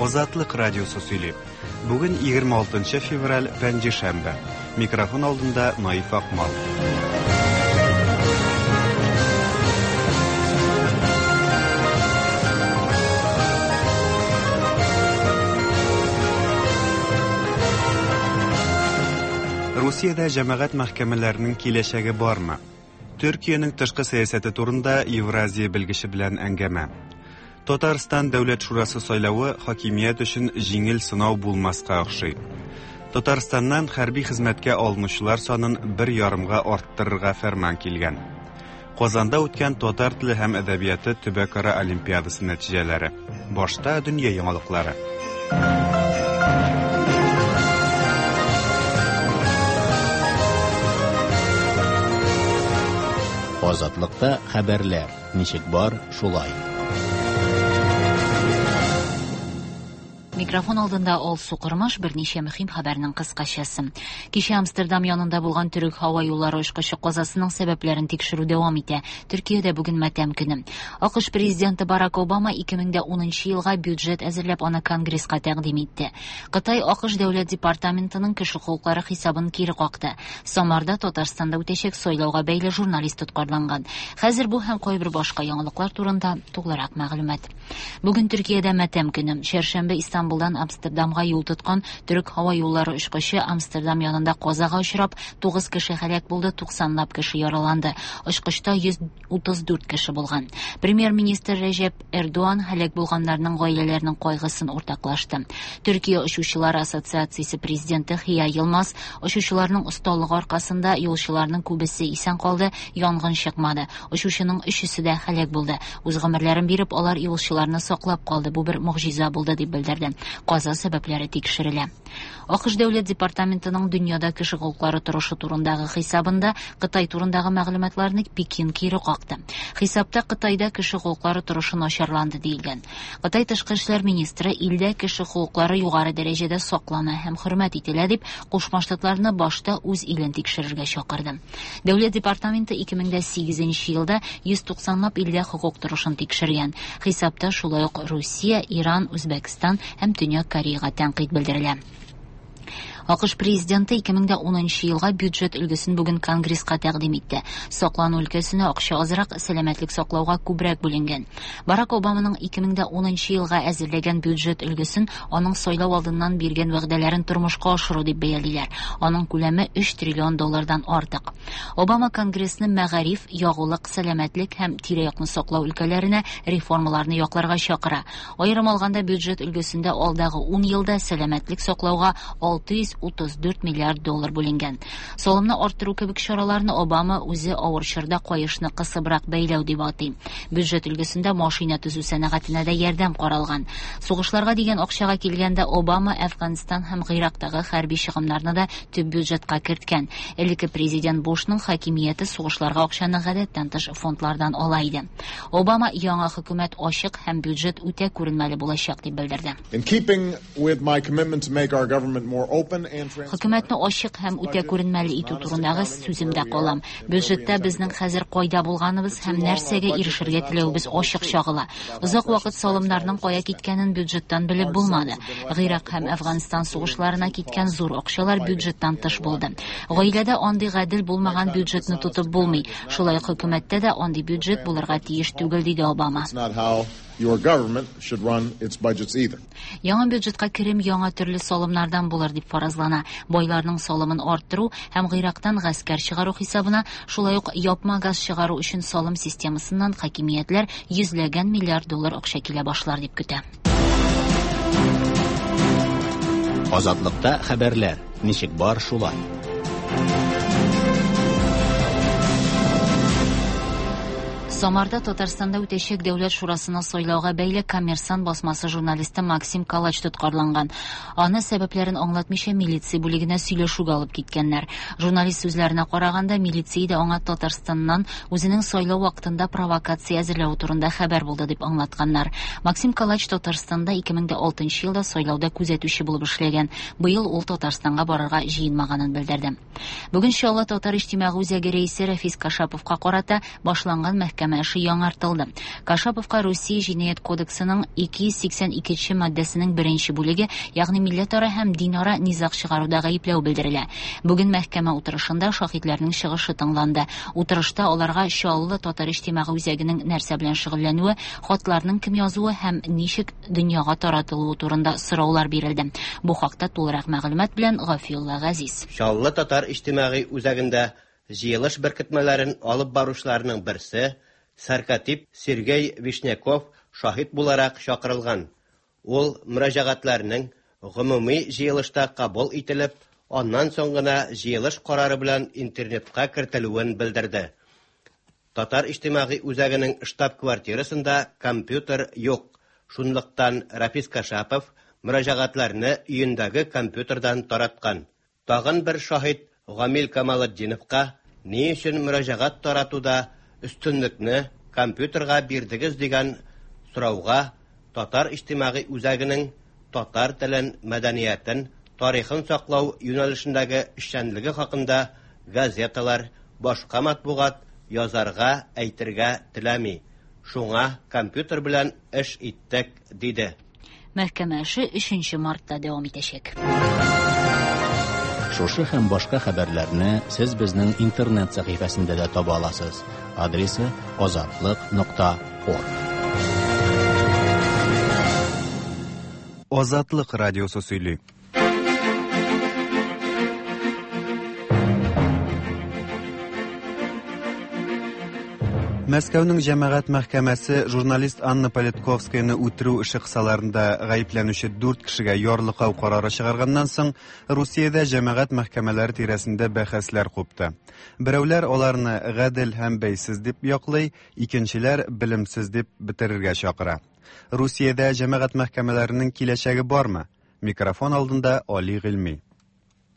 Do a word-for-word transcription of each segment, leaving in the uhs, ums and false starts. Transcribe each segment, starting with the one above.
Азатлык радиосы сөйли. Бүген егерме алтынчы февраль, пәнҗешәмбе. Микрофон алдында Наиф Акмал. Русиядә җәмәгать мәхкәмәләренең киләчәге бармы? Төркиянең тышкы сәясәте турында Евразия белгече белән әңгәмә. Татарстан Дәүләт Шурасы сайлавы хакимият өчен җиңел сынау булмаска охшый. Татарстаннан хәрби хезмәткә алынучылар санын бер ярымга арттырырга фәрман килгән. Казанда үткән татар теле һәм әдәбияты төбәкара олимпиадасы нәтиҗәләре. Башта дөнья яңалыклары. Азатлыкта хәбәрләр ничек бар, шулай. Микрофон алдында Алсу Кормаш, берничә мөһим хәбәрнең кыскачасы. Кичә Амстердам янында булган төрек һава юллары очкычы казасының сәбәпләрен тикшерү дәвам итә. Төркиядә бүген матәм көне. АКШ президенты Барак Обама ике мең дә унынчы елга бюджет әзерләп аны Конгресска тәкъдим итте. Кытай АКШ Дәүләт департаментының кеше хокуклары хисабын кире какты. Самарда Татарстанда үтәчәк сайлауга бәйле журналист тоткарланган. Хәзер бу һәм кайбер башка яңалыклар турында тулырак мәгълүмат. Бүген Төркиядә матәм көне. Чәршәмбе Истанбулдан Амстердамга юл тоткан төрек һава юллары очкычы Амстердам янында казага очрап, тугыз кеше һәлак булды, туксанлап кеше яраланды. Очкычта йөз утыз дүрт кеше булган. Премьер-министр Рәҗәп Эрдоган һәлак булганнарның гаиләләренең кайгысын уртаклашты. Төркия очучылары ассоциациясе президенты Хия Йылмаз очучыларның осталыгы аркасында юлчыларның күбесе исән калды, янгын чыкмады. Очучының өчесе дә һәлак булды. Үз гомерләрен биреп, алар юлчыларны саклап калды. Бу бер могҗиза булды, дип белдерде. Каза сәбәпләре тикшерелә. АКШ Дәүләт департаментының дөньяда кеше хокуклары торышы турындагы хисабында Кытай турындагы мәгълүматларны Пекин кире какты. Хисапта Кытайда кеше хокуклары торышы начарланды диелгән. Кытай тышкы эшләр министры илдә кеше хокуклары югары дәрәҗәдә саклана һәм хөрмәт ителә дип Кушма Штатларны башта үз илен тикшерергә чакырды. Дәүләт департаменты ике мең дә сигезенче елда йөз туксанлап илдә хокук торышын тикшергән. Хисапта шулай ук Русия, Иран, Үзбәкстан һәм Төньяк Кореяга тәнкыйть белдерелә. АКШ президенты ике мең дә унынчы елга бюджет өлгесен бүген Конгресска тәкъдим итте. Саклану өлкәсенә акча азрак, сәламәтлек саклауга күбрәк бүленгән. Барак Обаманың ике мең дә унынчы елга әзерләгән бюджет өлгесен аның сайлау алдыннан биргән вәгъдәләрен тормышка ашыру дип бәялиләр. Аның күләме өч триллион доллардан артык. Обама Конгрессны мәгариф, ягулык, сәламәтлек һәм тирә-якны саклау өлкәләренә реформаларны якларга чакыра. Аерым алганда бюджет өлгесендә алдагы ун елда сәламәтлек саклауга алты йөз утыз дүрт миллиард доллар бүленгән. Салымны арттыру кебек чараларны Обама үзе авыр чорда каешны кысыбрак бәйләү дип атый. Бюджет өлгесендә машина төзү сәнәгатенә дә ярдәм каралган. Сугышларга дигән акчага килгәндә Обама Әфганстан һәм Гыйрактагы хәрби чыгымнарны да төп бюджетка керткән. Элекке президент Бушның хакимияте сугышларга акчаны гадәттән тыш фондлардан ала иде. Обама яңа хөкүмәт ачык һәм бюджет үтә күренмәле булачак дип белдерде. In keeping with my commitment to make our government more open and Хөкүмәтне ачык һәм үтә күренмәле итү турындагы сүземдә калам. Бюджетта безнең хәзер кайда булганыбыз һәм нәрсәгә ирешергә теләвебез ачык чагыла. Озак вакыт салымнарның кая киткәнен бюджеттан белеп булмады. Гыйрак һәм Әфганстан сугышларына киткән зур акчалар бюджеттан тыш булды. Гаиләдә андый гадел булмаган бюджетны тотып булмый. Шулай ук хөкүмәттә дә андый бюджет булырга тиеш түгел, диде Обама. It's not how your government should run its budgets either. Яңа бюджетка керем яңа төрле салымнардан булыр дип фаразлана. Байларның салымын арттыру һәм Гыйрактан гаскәр чыгару хисабына, шулай ук япма газ чыгару өчен салым системасыннан хакимиятләр йөзләгән миллиард доллар акча килә башлар дип көтә. Азатлыкта хәбәрләр ничек бар шулай. Самарда Татарстанда үтәчәк Дәүләт Шурасына сайлауга бәйле Коммерсант басмасы журналисты Максим Калач тоткарланган. Аны сәбәпләрен аңлатмыйча милиция бүлегенә сөйләшүгә алып киткәннәр. Журналист сүзләренә караганда, милиция дә аңа Татарстаннан үзенең сайлау вакытында провокация әзерләүе турында хәбәр булды дип аңлатканнар. Максим Калач Татарстанда ике мең дә алтынчы елда сайлауда күзәтүче булып эшләгән. Быел ул Татарстанга барырга җыенмаганын белдерде. Бүген Чаллы Татар иҗтимагый үзәге рәисе Рәфис Кашаповка карата башланган мәхкәмә мәхкәмә эше яңартылды. Кашаповка Русия җинаять кодексының ике йөз сиксән икенче маддәсенең беренче бүлеге, ягъни милләтара һәм динара низаг чыгаруда гаепләү белдерелә. Бүген мәхкәмә утырышында шаһитләрнең чыгышы тыңланды. Утырышта аларга Чаллы татар иҗтимагый үзәгенең нәрсә белән шөгыльләнүе, хатларның кем язуы һәм ничек дөньяга таратылуы турында сораулар бирелде. Бу хакта тулырак мәгълүмат белән Гафиулла Газиз. Чаллы татар иҗтимагый үзәгендә җыелыш беркетмәләрен алып баручыларның берсе сәркатип Сергей Вишняков шаһит буларак чакырылган. Ул мөрәҗәгатьләрнең гомуми җыелышта кабул ителеп, аннан соң гына җыелыш карары белән интернетка кертелүен белдерде. Татар иҗтимагый үзәгенең штаб-квартирасында компьютер юк. Шунлыктан Рафис Кашапов мөрәҗәгатьләрне өендәге компьютердан тараткан. Тагын бер шаһит Гамил Камалетдиновка ни өчен мөрәҗәгать таратуда өстенлекне компьютерга бирдегез дигән сорауга Татар иҗтимагый үзәгенең татар телен, мәдәниятен, тарихын саклау юнәлешендәге эшчәнлеге хакында газеталар, башка матбугат язарга, әйтергә теләми. Шуңа компьютер белән эш иттек, диде. Мәхкәмә эше өченче мартта дәвам итәчәк. Шушы һәм башка хәбәрләрне сез безнең интернет сәхифәсендә дә таба аласыз. Адресы азатлык нокта орг. Азатлык радиосы сөйли. Мәскәүнең җәмәгать мәхкәмәсе журналист Анна Политковскаяны үтерү эше кысаларында гаепләнүче дүрт кешегә ярлыкау карары чыгарганнан соң, Русиядә җәмәгать мәхкәмәләре тирәсендә бәхәсләр купты. Берәүләр аларны гадел һәм бәйсез дип яклый, икенчеләр белемсез дип бетерергә чакыра. Русиядә җәмәгать мәхкәмәләренең киләчәге бармы? Микрофон алдында Али Гыйльми.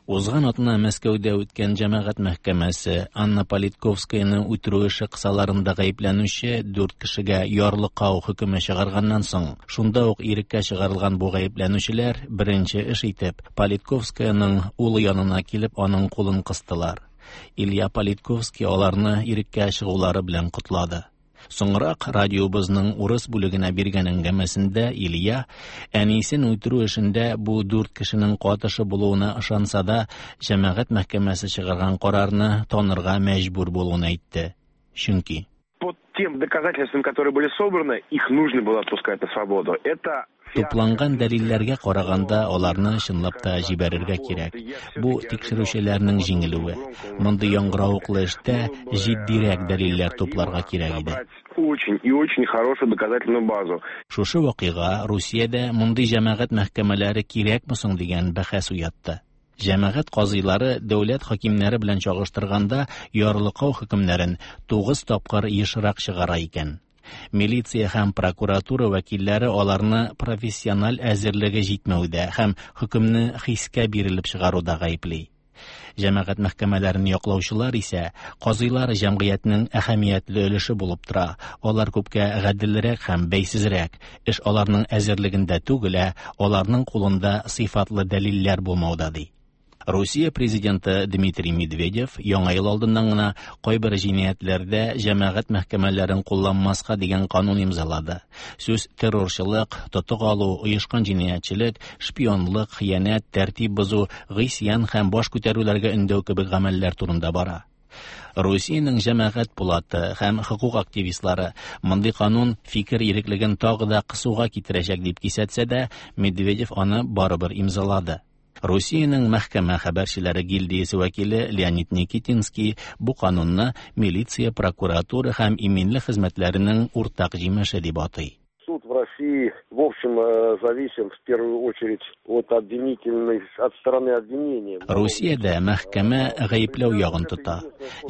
Узган атна Мәскәүдә үткән җәмәгать мәхкәмәсе Анна Политковскаяны үтерү эше кысаларында гаепләнүче дүрт кешегә ярлыкау хөкеме чыгарганнан соң, шунда ук иреккә чыгарылган бу гаепләнүчеләр беренче эш итеп Политковскаяның улы янына килеп аның кулын кыстылар. Илья Политковский аларны иреккә чыгулары белән котлады. Соңрак радиобызның урыс бүлегенә биргән әңгәмәсендә Илья әнисен үтерү эшендә бу дүрт кешенең катышы булуына ышанса да, җәмәгать мәхкәмәсе чыгарган карарны танырга мәҗбүр булуын әйтте. Чөнки по тем доказательствам, которые были собраны, их нужно было отпускать на свободу. Это Тупланган дәлилләргә караганда аларны чынлап та җибәрергә кирәк. Бу тикшерүчеләрнең җиңелүе. Мондый яңгыравыклы эштә җитдирәк дәлилләр тупларга кирәк иде. Очень и очень хорошую доказательную базу. Шушы вакыйга Русиядә мондый җәмәгать мәхкәмәләре кирәкме соң дигән бәхәс уятты. Җәмәгать казыйлары дәүләт хакимнәре белән чагыштырганда ярлыкау хөкемнәрен тугыз тапкыр ешрак чыгара икән. Милиция һәм прокуратура вәкилләре аларны профессиональ әзерлеге җитмәүдә һәм хөкемне хискә бирелеп чыгаруда гаепли. Җәмәгать мәхкәмәләрен яклаучылар исә казыйлар җәмгыятьнең әһәмиятле өлеше булып тора. Алар күпкә гаделрәк һәм бәйсезрәк. Эш аларның әзерлегендә түгел, ә аларның кулында сыйфатлы дәлилләр булмауда, ди. Русия президенты Дмитрий Медведев яңа ел алдыннан гына кайбер җинаятьләрдә җәмәгать мәхкәмәләрен кулланмаска дигән канун имзалады. Сүз террорчылык, тотык алу, оешкан җинаятьчелек, шпионлык, хыянәт, тәртип бозу, гыйсьян һәм баш күтәрүләргә өндәү кебек гамәлләр турында бара. Русиянең җәмәгать пулаты һәм хокук активистлары мондый канун фикер иреклеген тагы да кысуга китерәчәк дип кисәтсә дә, Медведев аны барыбер имзалады. Русиянең мәхкәмә хәбәрчеләре гильдиясе вәкиле Леонид Никитинский бу канунны милиция, прокуратура һәм иминлек хезмәтләренең уртак җимеше дип атый. Суд в России, в общем, зависим в первую очередь от обвинительной, от стороны обвинения. Русиядә мәхкәмә гаепләү ягын тота.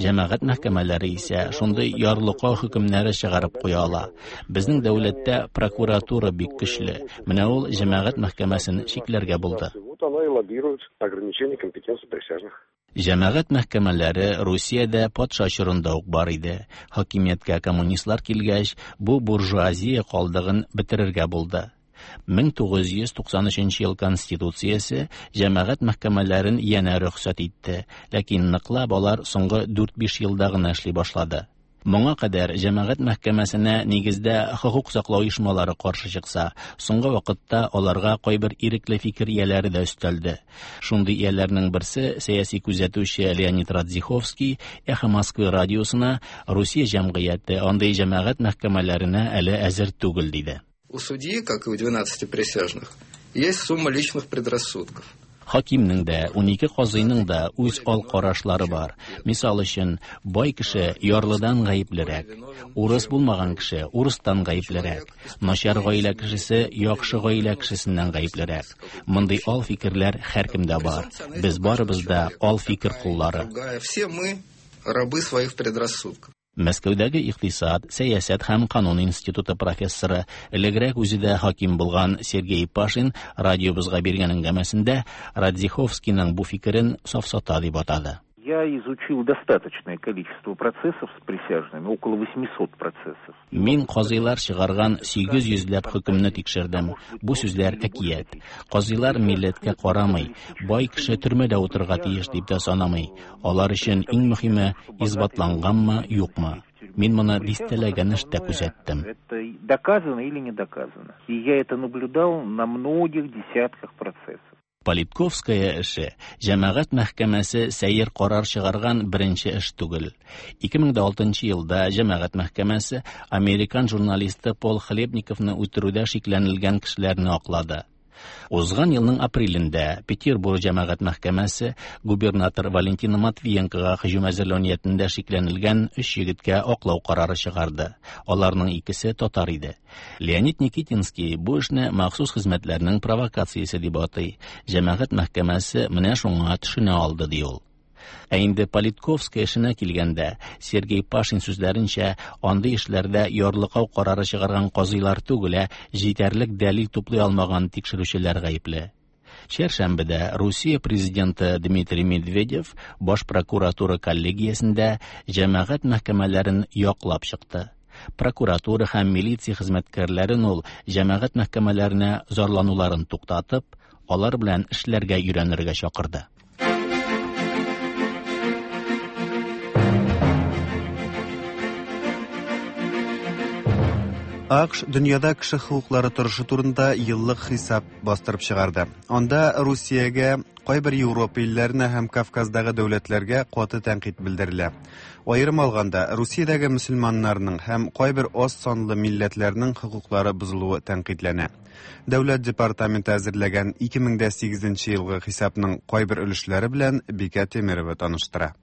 Җәмәгать мәхкәмәләре исә шундый ярлыкау хөкемнәре чыгарып куя ала. Безнең дәүләттә прокуратура бик көчле. Менә ул җәмәгать мәхкәмәсен чикләргә булды. Вот она и лоббирует ограничение компетенции присяжных. Җәмәгать мәхкәмәләре Русиядә патша чорында ук бар иде. Хакимияткә коммунистлар килгәч, бу буржуазия калдыгын бетерергә булды. мең тугыз йөз туксан өченче ел Конституциясе җәмәгать мәхкәмәләрен янә рөхсәт итте, ләкин ныклап алар соңгы дүрт-биш елда гына эшли башлады. Моңа кадәр җәмәгать мәхкәмәсенә нигездә хокук саклау оешмалары каршы чыкса, соңгы вакытта аларга кайбер ирекле фикер ияләре дә өстәлде. Шундый ияләрнең берсе сәяси күзәтүче Леонид Радзиховский Эхо Москвы радиосына Русия җәмгыяте андый җәмәгать мәхкәмәләренә әле әзер түгел диде. У судьи, как и у двенадцати присяжных, есть сумма личных предрассудков. Хакимнең дә, унике казыйның да үз ал карашлары бар. Мисал өчен, бай кеше ярлыдан гаеплерәк, урыс булмаган кеше урыстан гаеплерәк, начар гаилә кешесе яхшы гаилә кешесеннән гаеплерәк. Мондый ал фикерләр һәркемдә бар. Без барыбыз да ал фикер коллары. Все мы рабы своих предрассудков. Мәскәүдәге икътисад, сәясәт һәм канун институты профессоры, элегрәк үзе дә хаким булган Сергей Пашин радиобызга биргән әңгәмәсендә Радзиховскийның бу фикерен сафсата дип атады. Я изучил достаточное количество процессов с присяжными, около восьмисот процессов. Мин казыйлар чыгарган сигез йөзләп хөкемне тикшердем. Бу сүзләр әкият. Казыйлар милләткә карамый, бай кеше төрмәдә утырырга тиеш дип тә санамый. Алар өчен иң мөһиме исбатланганмы, юкмы. Мин моны дистәләгән эштә күзәттем. Это доказано или не доказано. И я это наблюдал на многих десятках процессов. Политковская эше җәмәгать мәхкәмәсе сәер карар чыгарган беренче эш түгел. ике мең алтынчы елда җәмәгать мәхкәмәсе американ журналисты Пол Хлебниковны үтерүдә шикләнелгән кешеләрне аклады. Узган елның апрелендә Петербург җәмәгать мәхкәмәсе губернатор Валентина Матвиенкога һөҗүм әзерләү ниятендә шикләнелгән өч егеткә аклау карары чыгарды. Аларның икесе татар иде. Леонид Никитинский бу эшне махсус хезмәтләрнең провокациясе дип атый. Җәмәгать мәхкәмәсе менә шуңа төшенә алды ди ул. Ә инде Политковская эшенә килгәндә, Сергей Пашин сүзләренчә, андый эшләрдә ярлыкау карары чыгарган казыйлар түгел, ә җитәрлек дәлил туплый алмаган тикшерүчеләр гаепле. Чәршәмбедә Русия президенты Дмитрий Медведев баш прокуратура коллегиясендә җәмәгать мәхкәмәләрен яклап чыкты. Прокуратура һәм милиция хезмәткәрләрен ул җәмәгать мәхкәмәләренә зарлануларын туктатып, алар белән эшләргә өйрәнергә чакырды. АКШ дөньяда кеше хокуклары торышы турында еллык хисап бастырып чыгарды. Анда Русиягә, кайбер Европа илләренә һәм Кавказдагы дәүләтләргә каты тәнкыйть белдерелә. Аерым алганда, Русиядәге мөселманнарның һәм кайбер аз санлы милләтләрнең хокуклары бозылуы тәнкыйтьләнә. Дәүләт департаменты әзерләгән ике мең сигезенче елгы хисапның кайбер өлешләре белән Бикә Темирова таныштыра.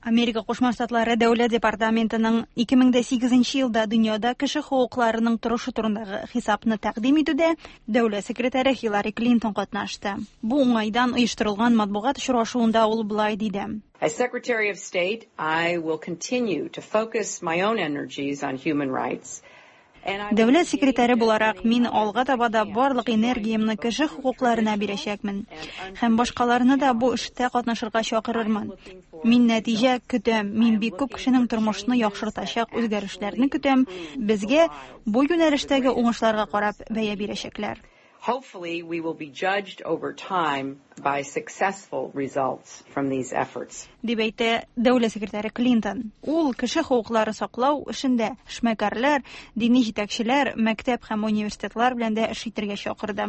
Америка Кушма Штатлары Дәүләт департаментының ике мең сигезенче елда дөньяда кеше хокукларының торышы турындагы хисапны тәкъдим итүдә дәүләт секретаре Хиллари Клинтон катнашты. Бу уңайдан оештырылган матбугат очрашуында ул болай диде. As Secretary of State, I will continue to focus my own energies on human rights. Дәүләт секретаре буларак мин алга таба да барлык энергиямне кеше хокукларына бирәчәкмен һәм башкаларны да бу эштә катнашырга чакырырмын. Мин нәтиҗә көтәм, мин бик күп кешенең тормышын яхшыртачак үзгәрешләрне көтәм. Безгә бу юнәлештәге уңышларга карап бәя бирәчәкләр. Hopefully we will be judged over time by successful results from these efforts. Дип әйтә дәүләт секретаре Клинтон. Ул кеше хокуклары саклау эшендә эшмәкәрләр, дини җитәкчеләр, мәктәп һәм университетлар белән дә эш итәргә чакырды.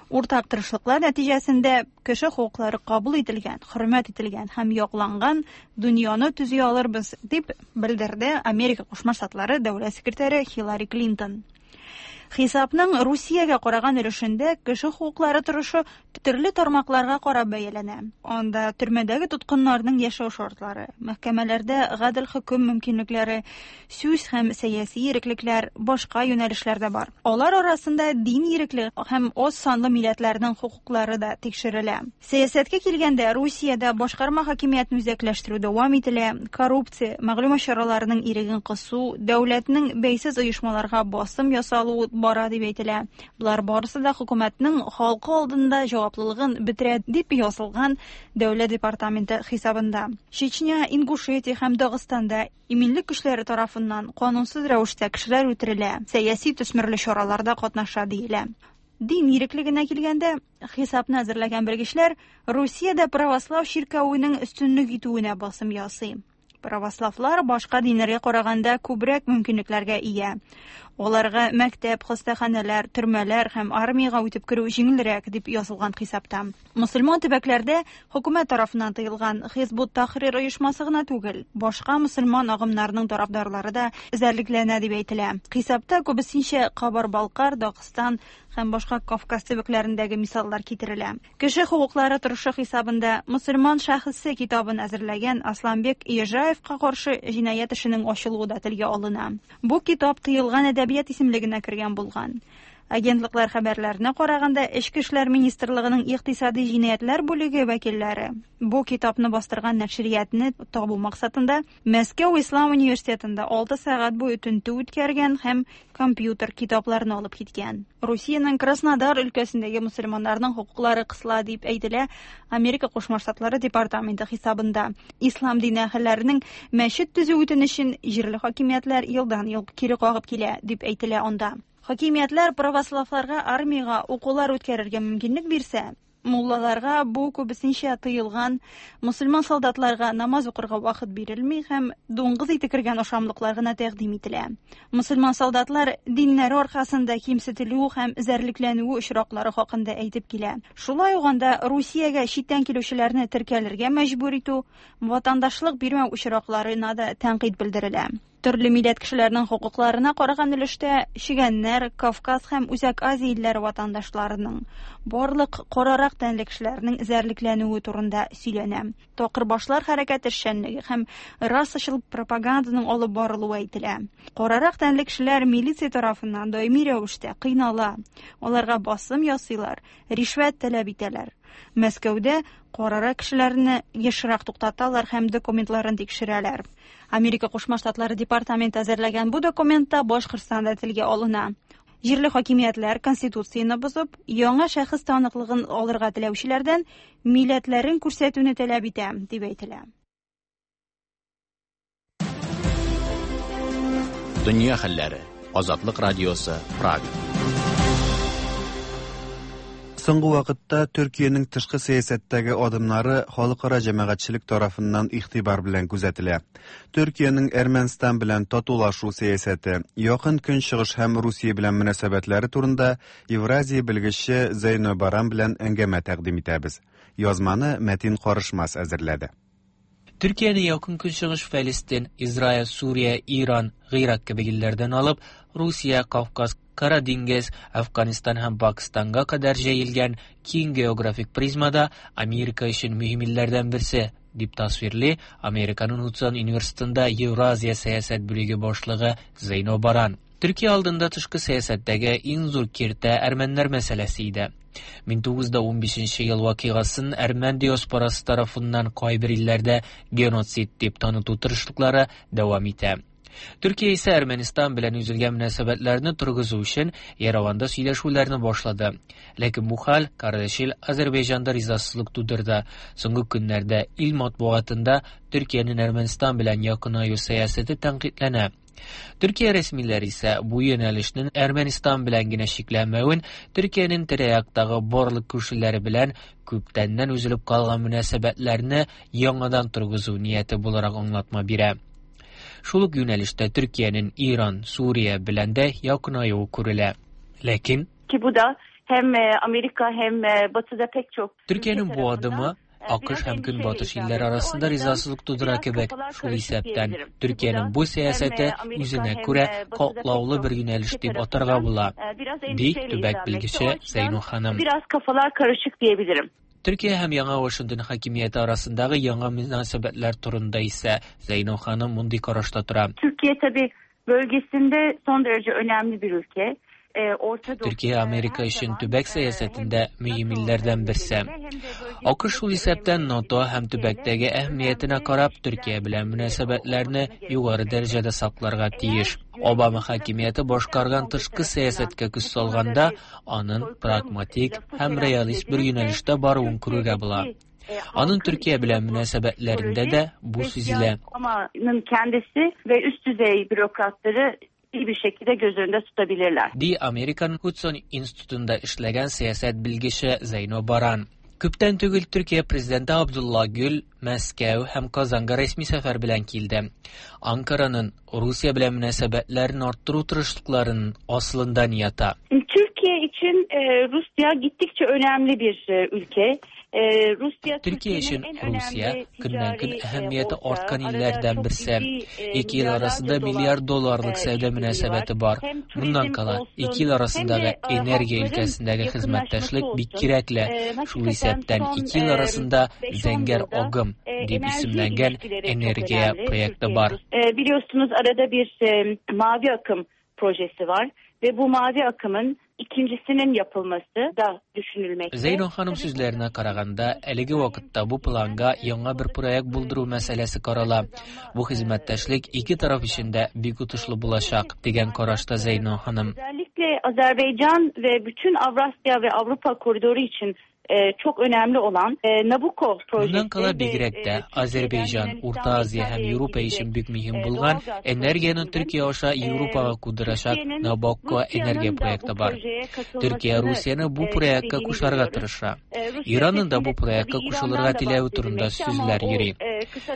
Уртак тырышлыклар нәтиҗәсендә кеше хокуклары кабул ителгән, хөрмәт ителгән һәм якланган дөньяны төзи алырбыз, дип белдерде Америка Кушма Штатлары дәүләт секретаре Хиллари Клинтон. Хисапның Русиягә караган өлешендә кеше хокуклары торышы төрле тармакларга карап бәяләнә. Анда төрмәдәге тоткыннарның яшәү шартлары, мәхкәмәләрдә гадел хөкем мөмкинлекләре, сүз һәм сәяси иреклекләр, башка юнәлешләр дә бар. Алар арасында дин иреклеге һәм аз санлы милләтләрнең хокуклары да тикшерелә. Сәясәткә килгәндә, Русиядә башкарма хакимиятне үзәкләштерү дәвам ителә, коррупция, мәгълүмат чараларының иреген кысу, дәүләтнең бәйсез оешмаларга басым ясалуы бара дип әйтелә. Болар барысы да хөкүмәтнең халкы алдында җаваплылыгын бетерә дип язылган Дәүләт департаменты хисабында. Чечня, Ингушетия һәм Дагыстанда иминлек көчләре тарафыннан канунсыз рәвештә кешеләр үтерелә, сәяси төсмерле чараларда катнаша диелә. Дин иреклегенә килгәндә, хисапны әзерләгән белгечләр Русиядә православ чиркәвенең өстенлек итүенә басым ясый. Православлар башка диннәргә караганда күбрәк мөмкинлекләргә ия. Аларга мәктәп, хастаханәләр, төрмәләр һәм армиягә үтеп керү җиңелрәк дип язылган хисапта. Мөселман төбәкләрдә хөкүмәт тарафыннан тыелган Хизбут Тахрир оешмасы гына түгел, башка мөселман агымнарының тарафдарлары да эзәрлекләнә дип әйтелә. Хисапта күбесенчә Кабар-Балкар, Дагыстан һәм башка Кавказ төбәкләрендәге мисаллар китерелә. Кеше хокуклары торышы хисабында мөселман шәхесе китабын әзерләгән Асланбек Ежаевка каршы җинаять эшенең ачылуы да телгә алына. Бу китап тыелган әдәбият исемлегенә кергән булган. Агентлыклар хәбәрләренә караганда, Эчке эшләр министрлыгының икътисади җинаятьләр бүлеге вәкилләре бу китапны бастырган нәшриятны табу максатында Мәскәү Ислам университетында алты сәгать буе тентү үткәргән һәм компьютер китапларын алып киткән. Русиянең Краснодар өлкәсендәге мөселманнарның хокуклары кысыла дип әйтелә Америка Кушма Штатлары департаменты хисабында. Ислам дине әһелләренең мәчет төзү үтенечен җирле хакимиятләр елдан-ел кире кагып килә дип әйтелә анда. Хакимиятләр православларга армиягә укулар үткәрергә мөмкинлек бирсә, муллаларга бу күбесенчә тыелган, мөселман солдатларга намаз укырга вакыт бирелми һәм дуңгыз ите кергән ашамлыклар гына тәкъдим ителә. Мөселман солдатлар диннәре аркасында кимсетелү һәм эзәрлекләнү очраклары хакында әйтеп килә. Шулай ук анда Русиягә читтән килүчеләрне теркәлергә мәҗбүр итү, ватандашлык бирмәү очракларына да тәнкыйть белдерелә. Төрле милләт кешеләренең хокукларына караган өлештә чегәннәр, Кавказ һәм Үзәк Азия илләре ватандашларының барлык карарак тәнле кешеләрнең эзәрлекләнүе турында сөйләнә. Такырбашлар хәрәкәте эшчәнлеге һәм расачыл пропаганданың алып барылуы әйтелә. Карарак тәнле кешеләр милиция тарафыннан даими рәвештә кыйнала, аларга басым ясыйлар, ришвәт таләп итәләр. Мәскәүдә карарак кешеләрне ешрак туктаталар һәм документларын тикшерәләр. Америка Кушма Штатлары департаменты әзерләгән бу документта Башкортстанда телгә алына. Җирле хакимиятләр конституцияне бозып, яңа шәхес таныклыгын алырга теләүчеләрдән милләтләрен күрсәтүне таләп итә, дип әйтелә. Дөнья хәлләре. Азатлык радиосы, Прага. Соңгы вакытта Төркиянең тышкы сәясәттәге адымнары халыкара җәмәгатьчелек тарафыннан игътибар белән күзәтелә. Төркиянең Әрмәнстан белән татулашу сәясәте, Якын Көнчыгыш һәм Русия белән мөнәсәбәтләре турында Евразия белгече Зейно Баран белән әңгәмә тәкъдим итәбез. Язманы Мәтин Карышмас әзерләде. Төркияне Якын Көнчыгыш, Фәлестин, Израиль, Сүрия, Иран, Гыйрак кебек илләрдән алып, Русия, Кавказ, Кара диңгез, Афганистан һәм Пакистанга кадәр җәелгән киң географик призмада Америка өчен мөһим илләрдән берсе дип тасвирли Американың Hudson университетында Евразия сәясәт бүлеге башлыгы Зейно Баран. Төркия алдында тышкы сәясәттәге иң зур киртә әрмәннәр мәсьәләсе иде. мең тугыз йөз унбишенче ел вакыйгасын әрмән диаспорасы тарафыннан кайбер илләрдә геноцид дип таныту тырышлыклары дәвам итә. Төркия исә Әрмәнстан белән өзелгән мөнәсәбәтләрне торгызу өчен Ереванда сөйләшүләрне башлады. Ләкин бу хәл кардәшил Азербайҗанда ризасызлык тудырды. Соңгы көннәрдә ил матбугатында Төркиянең Әрмәнстан белән якынаю сәясәте тәнкыйтьләнә. Төркия рәсмиләре исә бу юнәлешнең Әрмәнстан белән генә чикләнмәвен, Төркиянең тирә-яктагы барлык күршеләре белән күптәннән өзелеп калган мөнәсәбәтләрне яңадан торгызу нияте буларак аңлатма бирә. Шул ук юнәлештә Төркиянең Иран, Сүрия белән дә якынаюы күрелә. Ләкин ki bu da hem Amerika hem Batı'da pek çok Төркиянең бу адымы АКШ һәм Көнбатыш илләре арасында ризасызлык тудыра кебек. Шул исәптән Төркиянең бу сәясәте үзенә күрә катлаулы бер юнәлеш дип атарга була, ди төбәк белгече Зейно ханым. Biraz kafalar karışık diyebilirim. Төркия һәм яңа Вашингтон хакимияте арасындагы яңа мөнәсәбәтләр турында исә Зейно ханым мондый карашта тора. Türkiye tabii bölgesinde son derece önemli bir ülke. Төркия Америка өчен төбәк сәясәтендә мөһим илләрдән берсе. АКШ шул исәптән НАТО һәм төбәктәге әһәмиятенә карап Төркия белән мөнәсәбәтләрне югары дәрәҗәдә сакларга тиеш. Обама хакимияте башкарган тышкы сәясәткә күз салганда, аның прагматик һәм реалист бер юнәлештә баруын күрергә була. Аның Төркия белән мөнәсәбәтләрендә дә бу сизелә. Obama'nın kendisi ve üst düzey bürokratları iyi bir şekilde göz önünde tutabilirler. Ди Amerikan Hudson Institutunda эшләгән сәясәт белгече Зейно Баран. Күптән түгел Төркия президенты Абдулла Гүл Мәскәү һәм Казанга рәсми сәфәр белән килде. Анкараның Русия белән мөнәсәбәтләрен арттыру тырышлыкларының асылында ни ята? Türkiye için e, Rusya gittikçe önemli bir e, ülke. E, Rusya Төркия өчен Русия көннән-көн әһәмияте арткан илләрдән берсе. Ике ил арасында миллиард долларлык сәүдә мөнәсәбәте бар. Моннан кала, ике ил арасындагы энергия өлкәсендәге хезмәттәшлек бик кирәкле. Шул исәптән ике ил арасында Зәңгәр агым дип исемләнгән энергия проекты бар. E, biliyorsunuz arada bir e, mavi akım projesi var ve bu mavi akımın ikincisinin yapılması da düşünülmekte. Зәйнә ханым сүзләренә караганда, әлеге вакытта бу планга яңа бер проект булдыру мәсьәләсе карала. Бу хезмәттәшлек ике тараф өчен дә бик отышлы булачак, дигән карашта Зәйнә ханым. Özellikle Azerbaycan ve bütün Avrasya ve Avrupa koridoru için e, çok önemli olan e, Nabucco projesi. Моннан кала бигрәк тә Азербайҗан, Урта Азия һәм Европа өчен бик мөһим булган энергияне Төркия аша Европага кудырачак Nabucco энергия проекты бар. Төркия Русияне бу проектка кушарга тырыша. Иранның да бу проектка кушылырга теләве турында сүзләр йөри.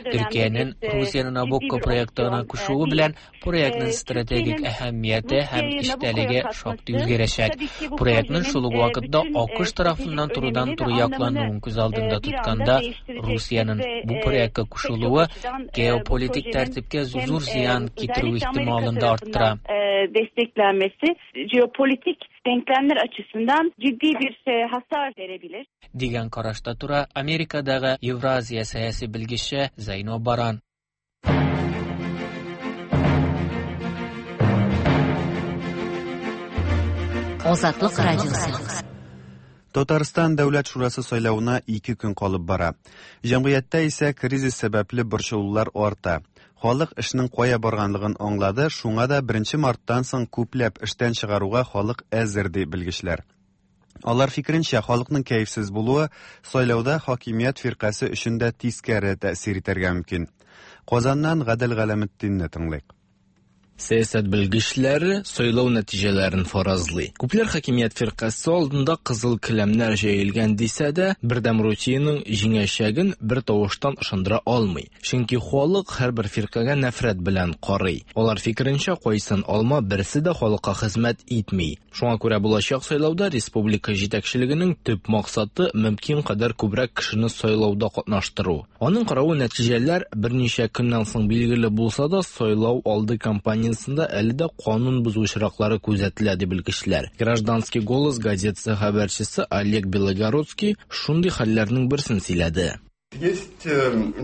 Төркиянең Русияне Nabucco проектына кушуы белән проектның стратегик әһәмияте һәм эчтәлеге шактый үзгәрәчәк. Проектның шул ук вакытта АКШ тарафыннан турыдан туры яклануын күз алдында тотканда, Русиянең бу проектка кушылуы геополитик тәртипкә зур зыян китерү ихтималын да арттыра. Desteklenmesi jeopolitik denklemler açısından ciddi bir hasar verebilir. Дигән карашта тора Америкадагы Евразия сәяси белгече Зәйно Баран. Азатлык радиосы. Татарстан Дәүләт Шурасы сайлавына ике көн калып бара. Җәмгыятьтә исә кризис сәбәпле борчылулар арта. Халык эшнең кая барганлыгын аңлады, шуңа да беренче марттан соң күпләп эштән чыгаруга халык әзер, ди белгечләр. Алар фикеренчә, халыкның кәефсез булуы сайлауда хакимият фиркасе өчен дә тискәре тәэсир итәргә мөмкин. Казаннан Гадел Галәметдинне тыңлыйк. Сәясәт белгечләре сайлау нәтиҗәләрен фаразлый. Күпләр хакимият фиркасе алдында кызыл келәмнәр җәелгән дисә дә, Бердәм Русиянең җиңәчәген бер тавыштан ышандыра алмый. Чөнки халык һәрбер фиркагә нәфрәт белән карый. Алар фикеренчә, кайсын алма берсе дә халыкка хезмәт итми. Шуңа күрә булачак сайлауда республика җитәкчелегенең төп максаты мөмкин кадәр күбрәк кешене сайлауда катнаштыру. Аның каравы нәтиҗәләр берничә көннән соң билгеле булса да, сайлау алды кампаниясендә әле дә канун бозу очраклары күзәтелә, ди белгечләр. Гражданский голос газетасы хәбәрчесе Олег Белогородский шундый хәлләрнең берсен сөйләде. Есть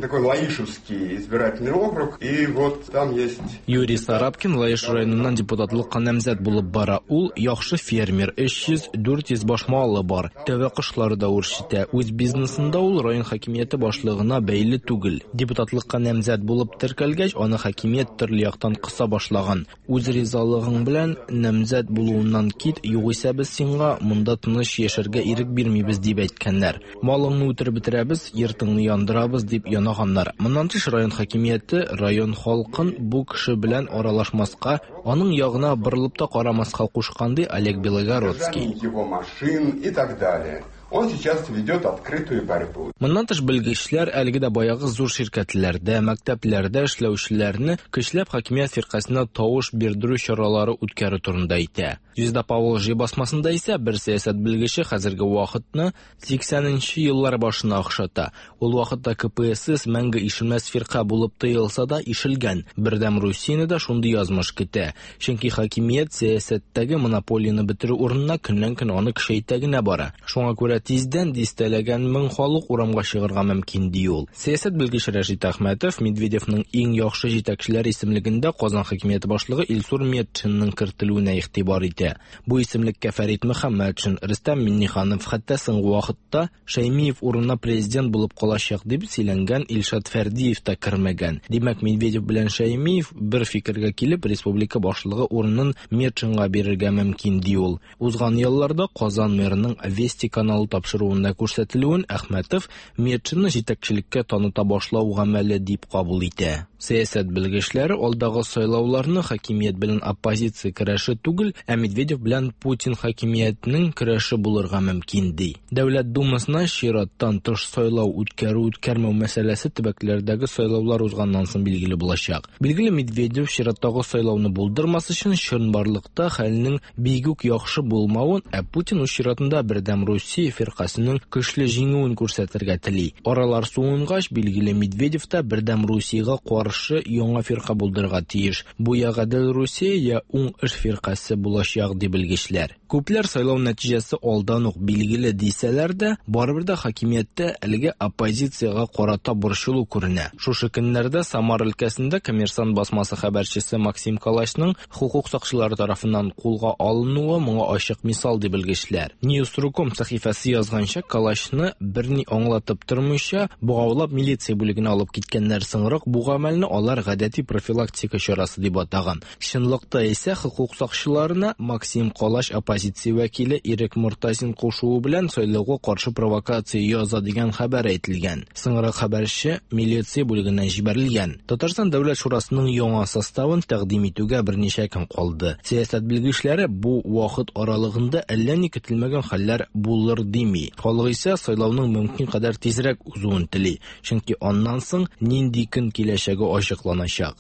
такой Лаишевский избирательный округ, и вот там есть... Юрий Сарапкин Лаиш районыннан депутатлыкка намзәт булып бара. Ул яхшы фермер, өч йөз дүрт йөз баш малы бар. Тәвә кошлары да үрчетә. Үз бизнесында ул район хакимияте башлыгына бәйле түгел. Депутатлыкка намзәт булып теркәлгәч, аны хакимият төрле яктан кыса башлаган. Үз ризалыгың белән намзәт булуыннан кит, югыйсә без сиңа монда тыныч яшәргә ирек бирмибез, дип әйткәннәр. Малыңны үтереп бетерәбез, йортыңны яндырабыз, дип янаганнар. Моннан тыш район хакимияте район халкын бу кеше белән аралашмаска, аның ягына борылып та карамаска кушкан, ди Олег Белогородский. Его машин и так далее. Он сейчас ведет открытую борьбу. Моннан тыш белгечләр әлеге дә баягы зур ширкәтләрдә, мәктәпләрдә эшләүчеләрне көчләп хакимият фиркасына тавыш бирдерү чаралары үткәрү турында әйтә. Звезда Поволжье басмасында исә бер сәясәт белгече хәзерге вакытны сиксәненче еллар башына охшата. Ул вакытта К П С С мәңге ишелмәс фирка булып тоелса да ишелгән. Бердәм Русияне дә шундый язмыш көтә. Чөнки хакимият сәясәттәге монополияне бетерү урынына көннән-көн аны көчәйтә генә бара. Шуңа күрә тиздән дистәләгән мең халык урамга чыгарга мөмкин, ди ул. Сәясәт белгече Рәшит Әхмәтов Медведевның иң яхшы җитәкчеләр исемлегендә Казан хакимияте башлыгы Илсур Метшинның кертелүенә игътибар итә. Бу исемлеккә Фәрит Мөхәммәтшин, Рөстәм Миңнеханов, хәтта соңгы вакытта Шәймиев урынына президент булып калачак дип сөйләнгән Илшат Фәрдиев та кермәгән. Димәк, Медведев белән Шәймиев бер фикергә килеп республика башлыгы урынын Метшинга бирергә мөмкин, ди ул. Узган елларда Казан мэрының Вести каналы тапшыруында күрсәтелүен Әхмәтов Метшинны җитәкчелеккә таныта башлау гамәле дип кабул итә. Сәясәт белгечләре алдагы сайлауларны хакимият белән оппозиция көрәше түгел, ә Медведев белән Путин хакимиятенең көрәше булырга мөмкин ди. Дәүләт Думасына чираттан тыш сайлау үткәрү-үткәрмәү мәсьәләсе төбәкләрдәге сайлаулар узганнан соң билгеле булачак. Билгеле, Медведев чираттагы сайлауны булдырмас өчен чынбарлыкта хәлнең бик үк яхшы булмавын, ә Путин үз чиратында Бердәм Русия фиркасының көчле җиңүен күрсәтергә тели. Аралар суынгач, билгеле, Медведев та Бердәм Русиягә каршы яңа фирка булдырырга тиеш. Бу я Гадел Русия, я Уң эш фиркасе булачак ди белгечләр. Күпләр сайлау нәтиҗәсе алдан ук билгеле дисәләр дә, барыбер дә хакимияттә әлеге оппозициягә карата борчылу күренә. Шушы көннәрдә Самара өлкәсендә Коммерсант басмасы хәбәрчесе Максим Калачның хукук сакчылары тарафыннан кулга алынуы моңа ачык мисал ди белгечләр. News точка ком сәхифәсе язганча, Калачны берни аңлатып тормыйча богаулап милиция бүлегенә алып киткәннәр. Соңрак бу гамәлне алар гадәти профилактика чарасы дип атаган. Чынлыкта исә хукук сакчыларына Максим Калач оппозиция вәкиле Ирек Мортазин кушуы белән сайлауга каршы провокация яза дигән хәбәр әйтелгән. Соңрак хәбәрче милиция бүлегеннән җибәрелгән. Татарстан Дәүләт Шурасының яңа составын тәкъдим итүгә берничә көн калды. Сәясәт белгечләре бу вакыт аралыгында әллә ни көтелмәгән хәлләр булыр дими. Халык исә сайлауның мөмкин кадәр тизрәк узуын тели, чөнки аннан соң нинди көн киләчәге ачыкланачак.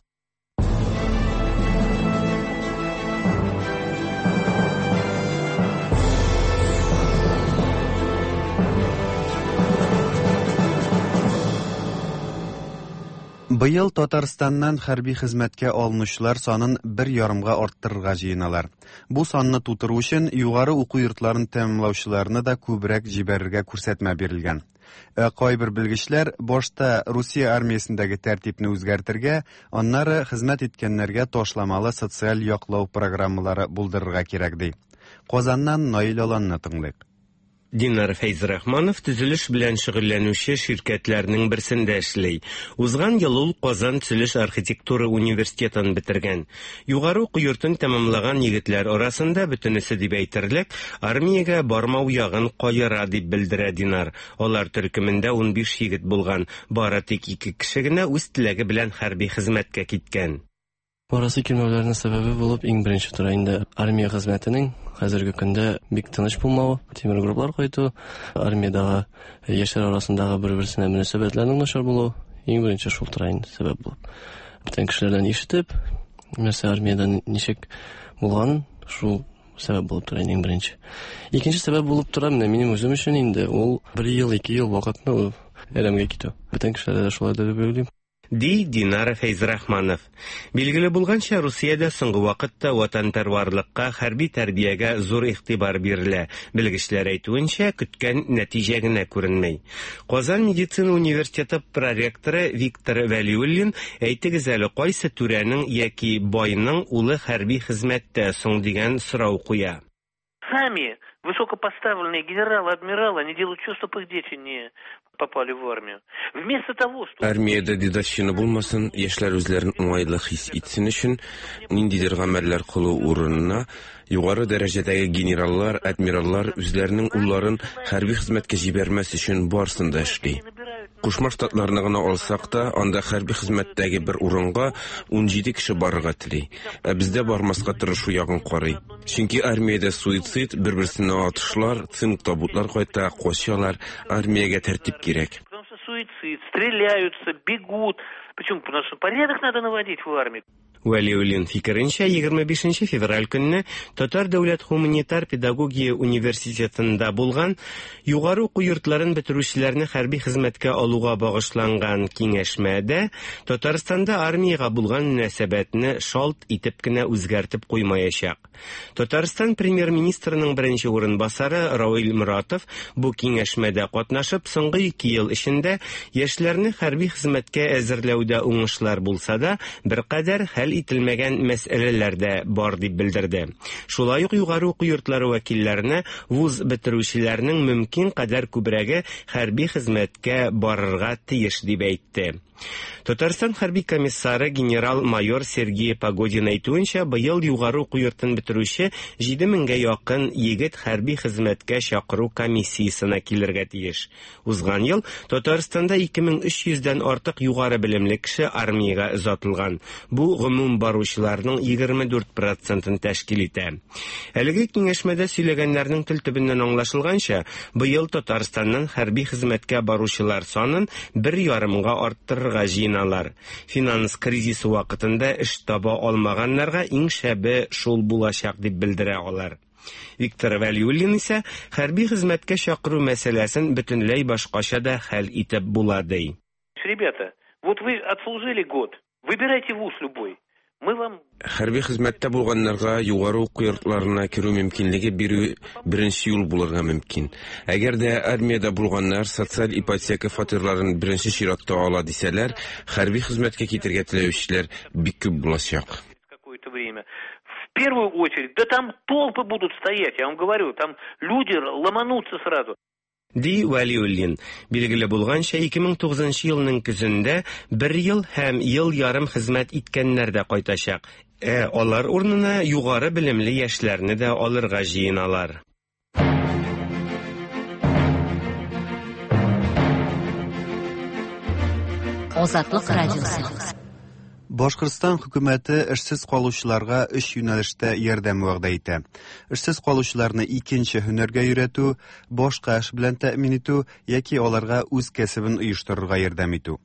Быел Татарстаннан хәрби хезмәткә алынучылар санын бер ярымга арттырырга җыеналар. Бу санны тутыру өчен югары уку йортларын тәмамлаучыларны да күбрәк җибәрергә күрсәтмә бирелгән. Ә кайбер белгечләр башта Русия армиясендәге тәртипне үзгәртергә, аннары хезмәт иткәннәргә ташламалы социаль яклау программалары булдырырга кирәк ди. Казаннан Наил Аланны тыңлыйк. Динар Фәйзрахманов төзелеш белән шөгыльләнүче ширкәтләрнең берсендә эшли. Узган ел ул Казан төзелеш архитектура университетын бетергән. Югары уку йортын тәмамлаган егетләр арасында бөтенесе дип әйтерлек армиягә бармау ягын каера дип белдерә Динар. Алар төркемендә унбиш егет булган, бары тик ике кеше генә үз теләге белән хәрби хезмәткә киткән. Барасы килмәүләренең сәбәбе булып иң беренче тора инде армия хезмәтенең хәзерге көндә бик тыныч булмавы, тимер гроблар кайту, армиядагы яшьләр арасындагы бер-берсенә мөнәсәбәтләрнең начар булуы, иң беренче шул тора инде сәбәп булып. Бүтән кешеләрдән ишетеп, нәрсә армиядә ничек булганын, шул сәбәп булып тора иң беренче. Икенче сәбәп булып тора менә минем үзем өчен инде ул бер ел, ике ел вакытны әрәмгә китү. Бүтән кешеләрдә дә шулай дип уйлыйм. Ди Динара Фәйзрахманов. Билгеле булганча, Русиядә соңгы вакытта ватанпәрварлыкка, хәрби тәрбиягә зур игътибар бирелә. Белгечләр әйтүенчә, көткән нәтиҗә генә күренми. Казан медицина университеты проректоры Виктор Вәлиуллин әйтегез әле, кайсы түрәнең яки байның улы хәрби хезмәттә соң дигән сорау куя. Сами высокопоставленные генералы, адмиралы, они делают все, чтобы их дети не попали в армию. Вместо того, что... Армиядә дедовщина булмасын, яшьләр үзләрен уңайлы хис итсен өчен, ниндидер гамәлләр кылу урынына югары дәрәҗәдәге генераллар, адмираллар үзләренең улларын хәрби хезмәткә җибәрмәс өчен барысын да эшли. Кушма Штатларны гына алсак та, анда хәрби хезмәттәге бер урынга унҗиде кеше барырга тели. Ә бездә бармаска тырышу ягын карый. Чөнки армиядә суицид, бер-берсенә атышлар, цинк табутлар кайта, качалар, армиягә тәртип кирәк. Потому что суицид, стреляются, бегут. Почему? Потому что порядок надо наводить в армии. Вәлиуллин фикеренчә, егерме бишенче февраль көнне Татар дәүләт гуманитар педагогия университетында булган югары уку йортларын бетерүчеләрне хәрби хезмәткә алуга багышланган киңәшмәдә Татарстанда армиягә булган мөнәсәбәтне шалт итеп кенә үзгәртеп куймаячак. Татарстан премьер-министрының беренче урынбасары Равил Муратов бу киңәшмәдә катнашып, соңгы ике ел эчендә яшьләрне хәрби хезмәткә әзерләүдә уңышлар булса да, беркадәр хәл ителмәгән мәсьәләләр дә бар дип белдерде. Шулай ук югары уку йортлары вәкилләренә вуз бетерүчеләрнең мөмкин кадәр күбрәге хәрби хезмәткә барырга тиеш дип әйтте. Татарстан хәрби комиссары генерал-майор Сергей Погодин әйтүенчә, быел югары уку йортын бетерүче җиде меңгә якын егет хәрби хезмәткә чакыру комиссиясенә килергә тиеш. Узган ел Татарстанда ике мең өч йөздән артык югары белемле кеше армиягә озатылган. Бу гомум баручыларның егерме дүрт процентын тәшкил итә. Әлеге киңәшмәдә сөйләгәннәрнең тел төбеннән аңлашылганча, быел Татарстаннан хәрби хезмәткә баручылар санын бер ярымга арттырырга җыеналар. Финанс кризисы вакытында эш таба алмаганнарга иң шәбе шул булачак дип белдерә алар. Виктор Вәлиуллин исә хәрби хезмәткә чакыру мәсьәләсен бөтенләй башкача да хәл итеп була ди. Ребята, вот вы отслужили год, выбирайте вуз любой. Мы вам Хәрби хезмәттә булганнарга югары уку йортларына керү мөмкинлеге бирү беренче юл булырга мөмкин. Әгәр дә армиядә булганнар социаль ипотека фатирларын беренче чиратта ала дисәләр, хәрби хезмәткә китергә теләүчеләр бик күп булачак. Какое-то время. В первую очередь, да там толпы будут стоять, я вам говорю, там люди ломанутся сразу. Ди Вәлиуллин. Билгеле булганча, ике мең тугызынчы елның көзендә бер ел һәм ел ярым хезмәт иткәннәр дә кайтачак. Ә алар урынына югары белемле яшьләрне дә алырга җыеналар. Азатлык радиосы. Башкортстан хөкүмәте эшсез калучыларга өч юнәлештә ярдәм вәгъдә итә. Эшсез калучыларны икенче һөнәргә өйрәтү, башка эш белән тәэмин итү яки аларга үз кәсебен оештырырга ярдәм итү.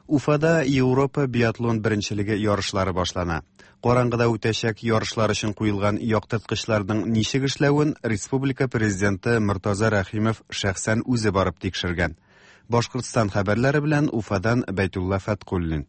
Уфада Европа биатлон беренчелеге ярышлары башлана. Караңгыда үтәчәк ярышлар өчен куелган яктырткычларның ничек эшләвен республика президенты Мортаза Рәхимов шәхсән үзе барып тикшергән. Башкортстан хәбәрләре белән Уфадан Бәйтулла Фәткуллин.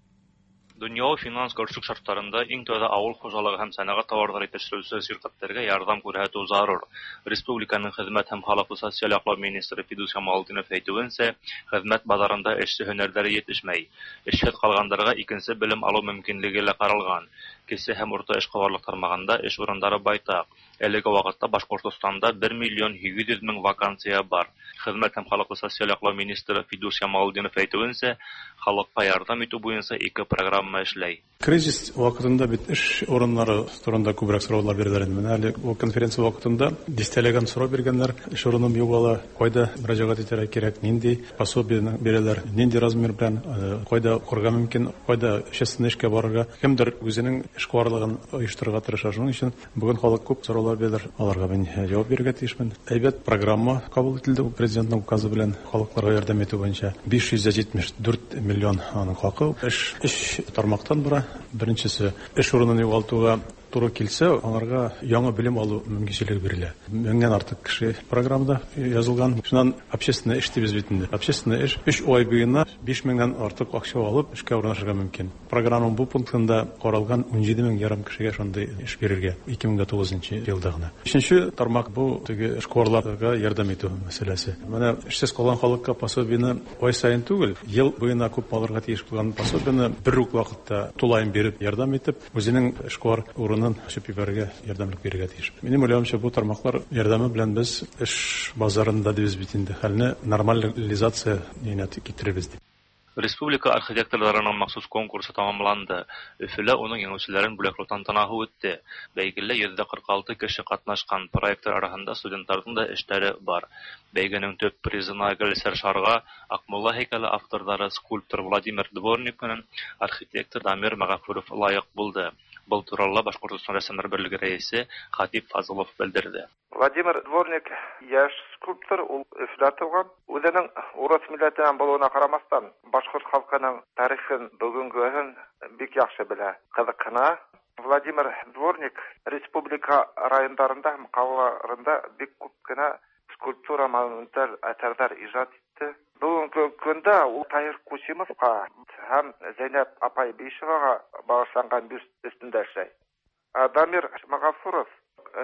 Дөньяви финанс көрсүк шартларында иң тәүдә авыл хуҗалыгы һәм сәнәгать товарлары җитештерүче ширкәтләргә ярдәм күрсәтү зарур. Республиканың хезмәт һәм халыкны социаль яклау министры Фидус Камалетдинов әйтүенчә, хезмәт базарында эшче һөнәрләре җитешмәй. Эшсез калганнарга икенче белем алу мөмкинлеге лә каралган. Кече һәм урта эшкуарлык тармагында эш урыннары байтак. Әлеге вакытта Башкортстанда бер миллион һигез йөз мең вакансия бар. Хезмәт һәм халыкны социаль яклау министры Фидус Камалетдинов әйтүенчә, халыкка ярдәм итү буенча ике программа эшләй. Кризис вакытында бит эш урыннары турында күбрәк сораулар бирәләр инде. Менә әле бу конференция вакытында дистәләгән сорау биргәннәр. Эш урыным юк ала, кайда мөрәҗәгать итәргә кирәк, нинди пособие бирәләр, нинди размер белән, кайда укырга мөмкин, кайда общественный эшкә барырга. Кемдер үзенең эшкуарлыгын оештырырга тырыша. Шуның өчен бүген халык күп сораулар бирәләр. Аларга мин җавап бирергә тиешмен. Әйбәт программа кабул ителде президентның указы белән халыкларга ярдәм итү буенча. биш йөз җитмеш дүрт миллион аның хакы. Эш өч тармактан бара. Беренчесе, эш урынын югалтуга туры килсә, аларга яңа белем алу мөмкинчелеге бирелә. Меңнән артык кеше программада язылган. Шуннан общественный эш дибез бит инде. Общественный эш өч ай буена биш меңнән артык акча алып эшкә урнашырга мөмкин. Программаның бу пунктында каралган ун җиде мең ярым кешегә шундый эш бирергә ике мең тугызынчы елда гына. Өченче тармак бу теге эшкуарларга ярдәм итү мәсьәләсе. Менә эшсез калган халыкка пособиене ай саен түгел, ел буена күп алырга тиеш булган пособиене бер үк вакытта тулаем биреп ярдәм итеп, үзенең эшкуар урынын ачып җибәрергә ярдәмлек бирергә тиеш. Минем уйлавымча, бу тармаклар ярдәме белән без эш базарында дибез бит инде хәлне нормализация китерәбез дип. Республика архитекторларының махсус конкурсы тамамланды. Өфөлә уның җиңүчеләрен бүләкләү тантанасы үтте. Бәйгедә йөздә кырык алты кеше катнашкан. Проектлар арасында студентларның да эшләре бар. Бәйгенең төп призына Гөлсәр Шарга Акмулла һәйкәле авторлары скульптор Владимир Дворник менән архитектор Дамир Мәгафуров лайык булды. Был туралы Башкортостан рәссамнар берлеге рәисе Хатип Фазылов белдерде. Владимир Дворник яшь скульптор, ул Өфөлә туган. Үзенең урыс милләтеннән булуына карамастан, башкорт халкының тарихын, бүгенгесен бик яхшы белә, кызыксына. Владимир Дворник республика районнарында һәм калаларында бик күп кенә скульптура, монументаль әсәрләр иҗат итте. Бүгенге көндә ул Таһир Кусимовка һәм Зәйнәб апай Бишевага багышланган бюст өстендә эшләй. Дамир Мәгафуров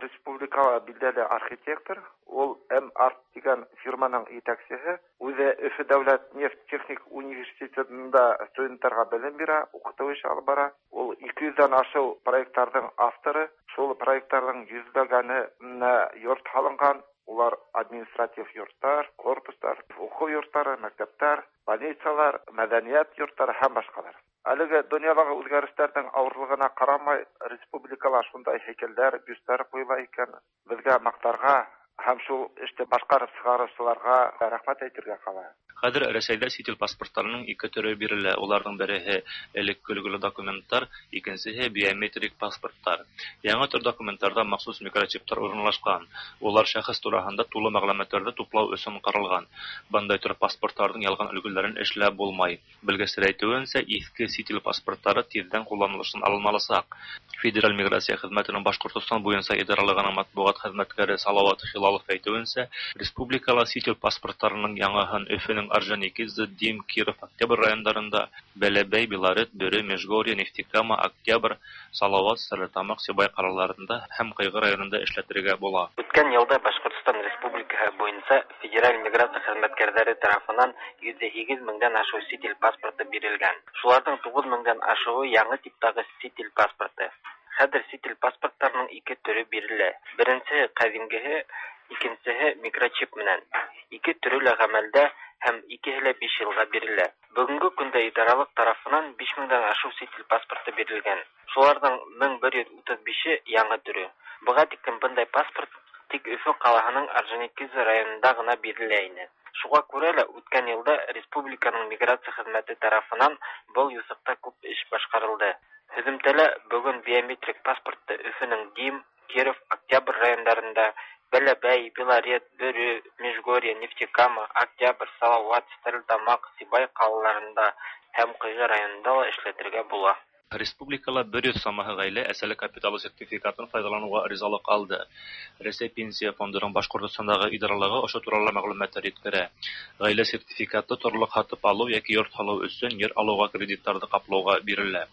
республикала билгеле архитектор, ул М-Арт дигән фирманың җитәкчесе. Үзе Өфө дәүләт нефть техник университетында студентларга белем бирә, укыту эше алып бара. Ул ике йөздән ашык проектларның авторы. Шул проектларның йөзләгәненә йорт салынган, Улар административ йорттар, корпустар, уҡыу йорттары, мәктәптәр, больницалар, мәҙәниәт йорттары һәм башҡалар. Әлеге донъялағы үҙгәрештәрҙең ауырлығына ҡарамай, республикала шундай һәйкәлдәр, бюсттар ҡуйыла икән. Беҙгә маҡтарға һәм шул эште башҡарып сығарыусыларға рәхмәт әйтергә ҡала. Хәҙер Рәсәйҙә сит ил паспорттарының ике төрө бирелә. Уларҙың береһе элекке өлгөлө документтар, икенсеһе биометрик паспорттар. Яңы төр документтарҙа махсус микрочиптар урынлашҡан. Улар шәхес тураһында тулы мәғлүмәттәрҙе туплау өсөн ҡаралған. Бындай төр паспорттарҙың ялған өлгөләрен эшләп булмай. Белгестәр әйтеүенсә, иҫке сит ил паспорттары тиҙҙән ҡулланылыштан алынмаласаҡ. Федераль миграция хеҙмәтенең Башҡортостан буйынса идаралығының матбуғат хеҙмәткәре Салауат Хилалов әйтеүенсә, республикала сит ил паспорттарының яңыһын Өфөнөң Орджоникидзе, Дим, Киров, Октябрь райондарында, Бәләбәй, Белорет, Бөрө, Межгорье, Нефтекама, Октябрь, Салауат, Стәрлетамаҡ, Сибай ҡалаларында һәм Ҡыйғы районында эшләтергә була. Үткән йылда Башҡортостан Республикаһы буйынса федераль миграция хеҙмәткәрҙәре тарафынан йөҙ һигеҙ меңдән ашыу сит ил паспорты бирелгән. Шуларҙың туғыҙ меңдән ашыуы яңы типтағы сит ил паспорты. Хәҙер сит ил паспорттарының ике төрө бирелә. Беренсеһе ҡәҙимгеһе, икенсеһе микрочип менән. Ике төрө лә ғәмәлдә һәм икеһе лә биш йылға бирелә. Бөгөнгө көндә идаралыҡ тарафынан биш меңдән ашыу сит ил паспорты бирелгән. Шуларҙың мең бер йөҙ утыҙ бише яңы төрө. Быға тиклем бындай паспорт тик Өфө ҡалаһының Орджоникидзе районында ғына бирелә ине. Шуға күрә лә үткән йылда республиканың миграция хеҙмәте тарафынан был юҫыҡта күп эш башҡарылды. Һөҙөмтәлә бөгөн биометрик паспортты Өфөнөң Дим, Киров, Октябрь райондарында, Бәләбәй, Белорет, Бөрө, Межгорье, Нефтекама, Октябрь, Салауат, Стәрлетамаҡ, Сибай ҡалаларында һәм Ҡыйғы районында ла эшләтергә була. Республикала бер йөҙ самаһы ғаилә әсәлек капиталы сертификатын файҙаланыуға ризалыҡ алды. Рәсәй Пенсия фондының Башҡортостандағы идаралығы ошо турала мәғлүмәттәр еткерә. Ғаилә сертификаты торлоҡ һатып алыу йәки йорт һалыу өсөн ер алыуға кредиттарҙы ҡаплауға бирелә.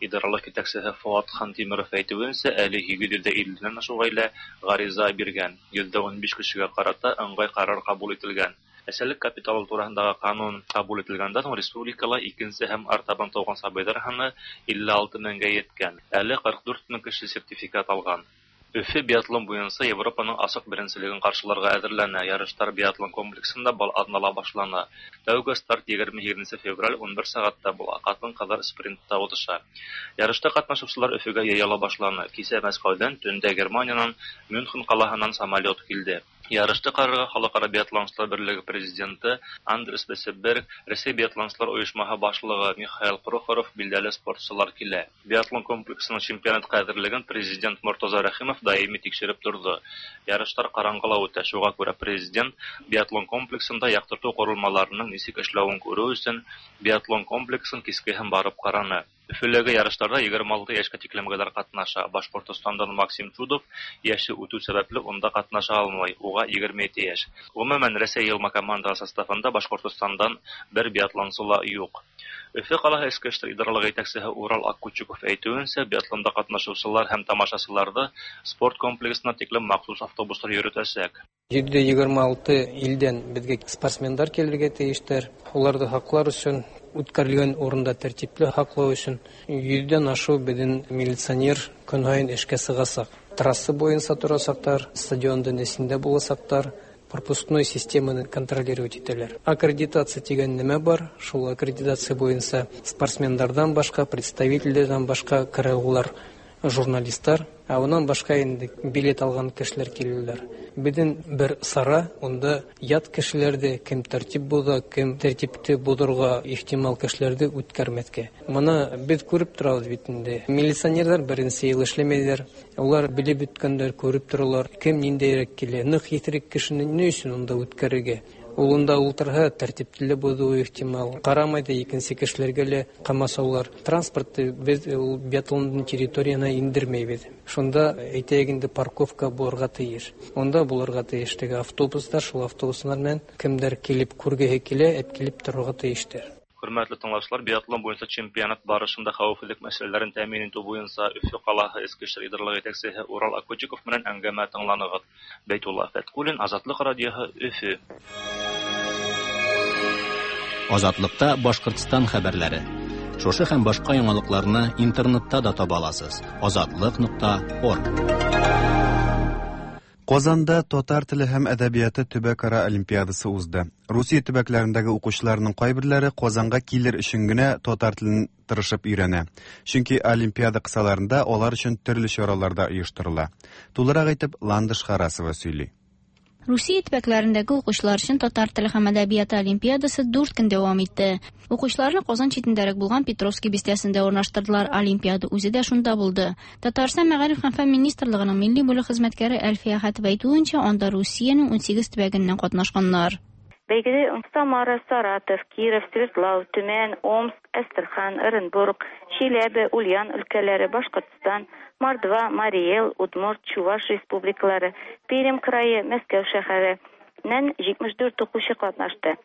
Идаралыҡ етәксеһе Фуат Хантимиров әйтеүенсә, әле һигеҙ йөҙ илледән ашыу ғаилә ғариза биргән. Йөҙ ун биш кешегә ҡарата ыңғай ҡарар ҡабул ителгән. Әсәлек капиталы тураһындағы ҡанун ҡабул ителгәндән һуң республикала икенсе һәм артабан тыуған сабыйҙар һаны илле алты меңгә еткән. Әле ҡырҡ дүрт мең кеше сертификат алған. Өфө биатлон буйынса Европаның асыҡ беренселеген ҡаршыларға әҙерләнә. Ярыштар биатлон комплексында был аҙнала башлана. Тәүге старт егерме һигеҙенсе февраль ун бер сәғәттә була. Ҡатын-ҡыҙҙар спринтта уҙыша. Ярышта ҡатнашыусылар Өфөгә йыйыла башланы. Кисә Мәскәүҙән, төндә Германиянан Мюнхен ҡалаһынан самолет килде. Ярышты ҡарарға Халыҡ-ара биатлонсылар берлеге президенты Андрес Бесеберг, Рәсәй биатлонсылар ойошмаһы башлығы Михаил Прохоров, билдәле спортсылар килә. Биатлон комплексының чемпионатҡа әҙерлеген президент Мортаза Рәхимов даими тикшереп торҙо. Ярыштар ҡараңғыла үтә, шуға күрә президент биатлон комплексында яҡтыртыу ҡоролмаларының нисек эшләүен күреү өсөн биатлон комплексын кискеһен барып ҡараны. Өфөләге ярыштарҙа егерме алты йәшкә тиклемгеләр ҡатнаша. Башҡортостандан Максим Чудов йәше үтеү сәбәпле унда ҡатнаша алмай, уға егерме ете йәш. Ғөмүмән, Рәсәй йыйылма командаһы составында Башҡортостандан бер биатлонсы ла юҡ. Өфө ҡалаһы Эске эштәр идаралығы етәксеһе Урал Аккучуков әйтеүенсә, биатлонда ҡатнашыусылар һәм тамашасыларҙы спорт комплексына тиклем махсус автобустар йөрөтәсәк. Йөҙ егерме алты илдән беҙгә спортсмендар килергә тейештәр. Уларҙы һаҡлар өсөн, үткәрелгән урында тәртипле һаҡлау өсөн йөҙҙән ашыу беҙҙең милиционер көн һайын эшкә сығасаҡ. Трасса буйынса торасаҡтар, стадиондың эсендә буласаҡтар, пропускной системаны контролировать итәләр. Аккредитация тигән нәмә бар, шул аккредитация буйынса спортсмендарҙан башҡа, представителдәрҙән башҡа керә улар журналисттар, ә унан башҡа инде билет алған кешеләр киләләр. Беҙҙең бер сара, унда ят кешеләрҙе, кем тәртип боҙа, кем тәртипте боҙорға ихтимал кешеләрҙе үткәрмәҫкә. Мына беҙ күреп торабыҙ бит инде. Милиционерҙар беренсе йыл эшләмәйҙәр. Улар белеп бөткәндәр, күреп торалар, кем ниндәйерәк килә. Ныҡ иҫерек кешене ни өсөн унда үткәрергә? Ул унда ултырһа, тәртипте боҙоуы ихтимал. Ҡарамай ҙа икенсе кешеләргә лә ҡамасаулар. Транспортты беҙ ул биатлондың территорияһына индермәйбеҙ. Шунда әйтәйек инде парковка булырға тейеш. Унда булырға тейеш теге автобустар, шул автобустар менән кемдәр килеп күргеһе килә, әп килеп торорға тейештәр. Хөрмәтле тыңлаучылар, биатлон буйынса чемпионат барышында хәүефһеҙлек мәсьәләләрен тәьмин итеү буйынса Өфө ҡалаһы Эске эштәр идаралығы етәксеһе Урал Аккучуков менән әңгәмә тыңланығыҙ. Бәйтулла Фәткуллин, Азатлыҡ радиоһы, Өфө. Азатлыкта Башҡортостан хәбәрләре. Шушы һәм башҡа яңалыҡларны интернетта да таба аласыз. Азатлыҡ нуҡта орг. Казанда татар теле һәм әдәбияты төбәкара олимпиадасы узды. Русия төбәкләрендәге укучыларның кайберләре Казанга килер өчен генә татар телен тырышып өйрәнә. Чөнки олимпиада кысаларында алар өчен төрле чаралар да оештырыла. Тулырак итеп Ландыш Харасова сөйли. Русия төбәкләрендәге укучылар өчен татар теле һәм әдәбияты олимпиадасы дүрт көн дәвам итте. Укучыларны Казан читендәрәк булган Петровский бистәсендә урнаштырдылар. Олимпиада үзе дә шунда булды. Татарстан Мәгариф һәм фән министрлыгының милли бүлек хезмәткәре Әлфия Хәтова әйтүенчә, анда Русиянең унсигез төбәгеннән катнашканнар. Бәйгедә Самара, Саратов, Киров, Свердлов, Төмән, Омск, Әстерхан, Оренбург, Чиләбе, Ульян өлкәләре, Башкортстан, Мордва, Марий Эл, Удмурт, Чуваш республикалары, Пермь крае, Мәскәү шәһәреннән җитмеш дүрт укучы катнашты.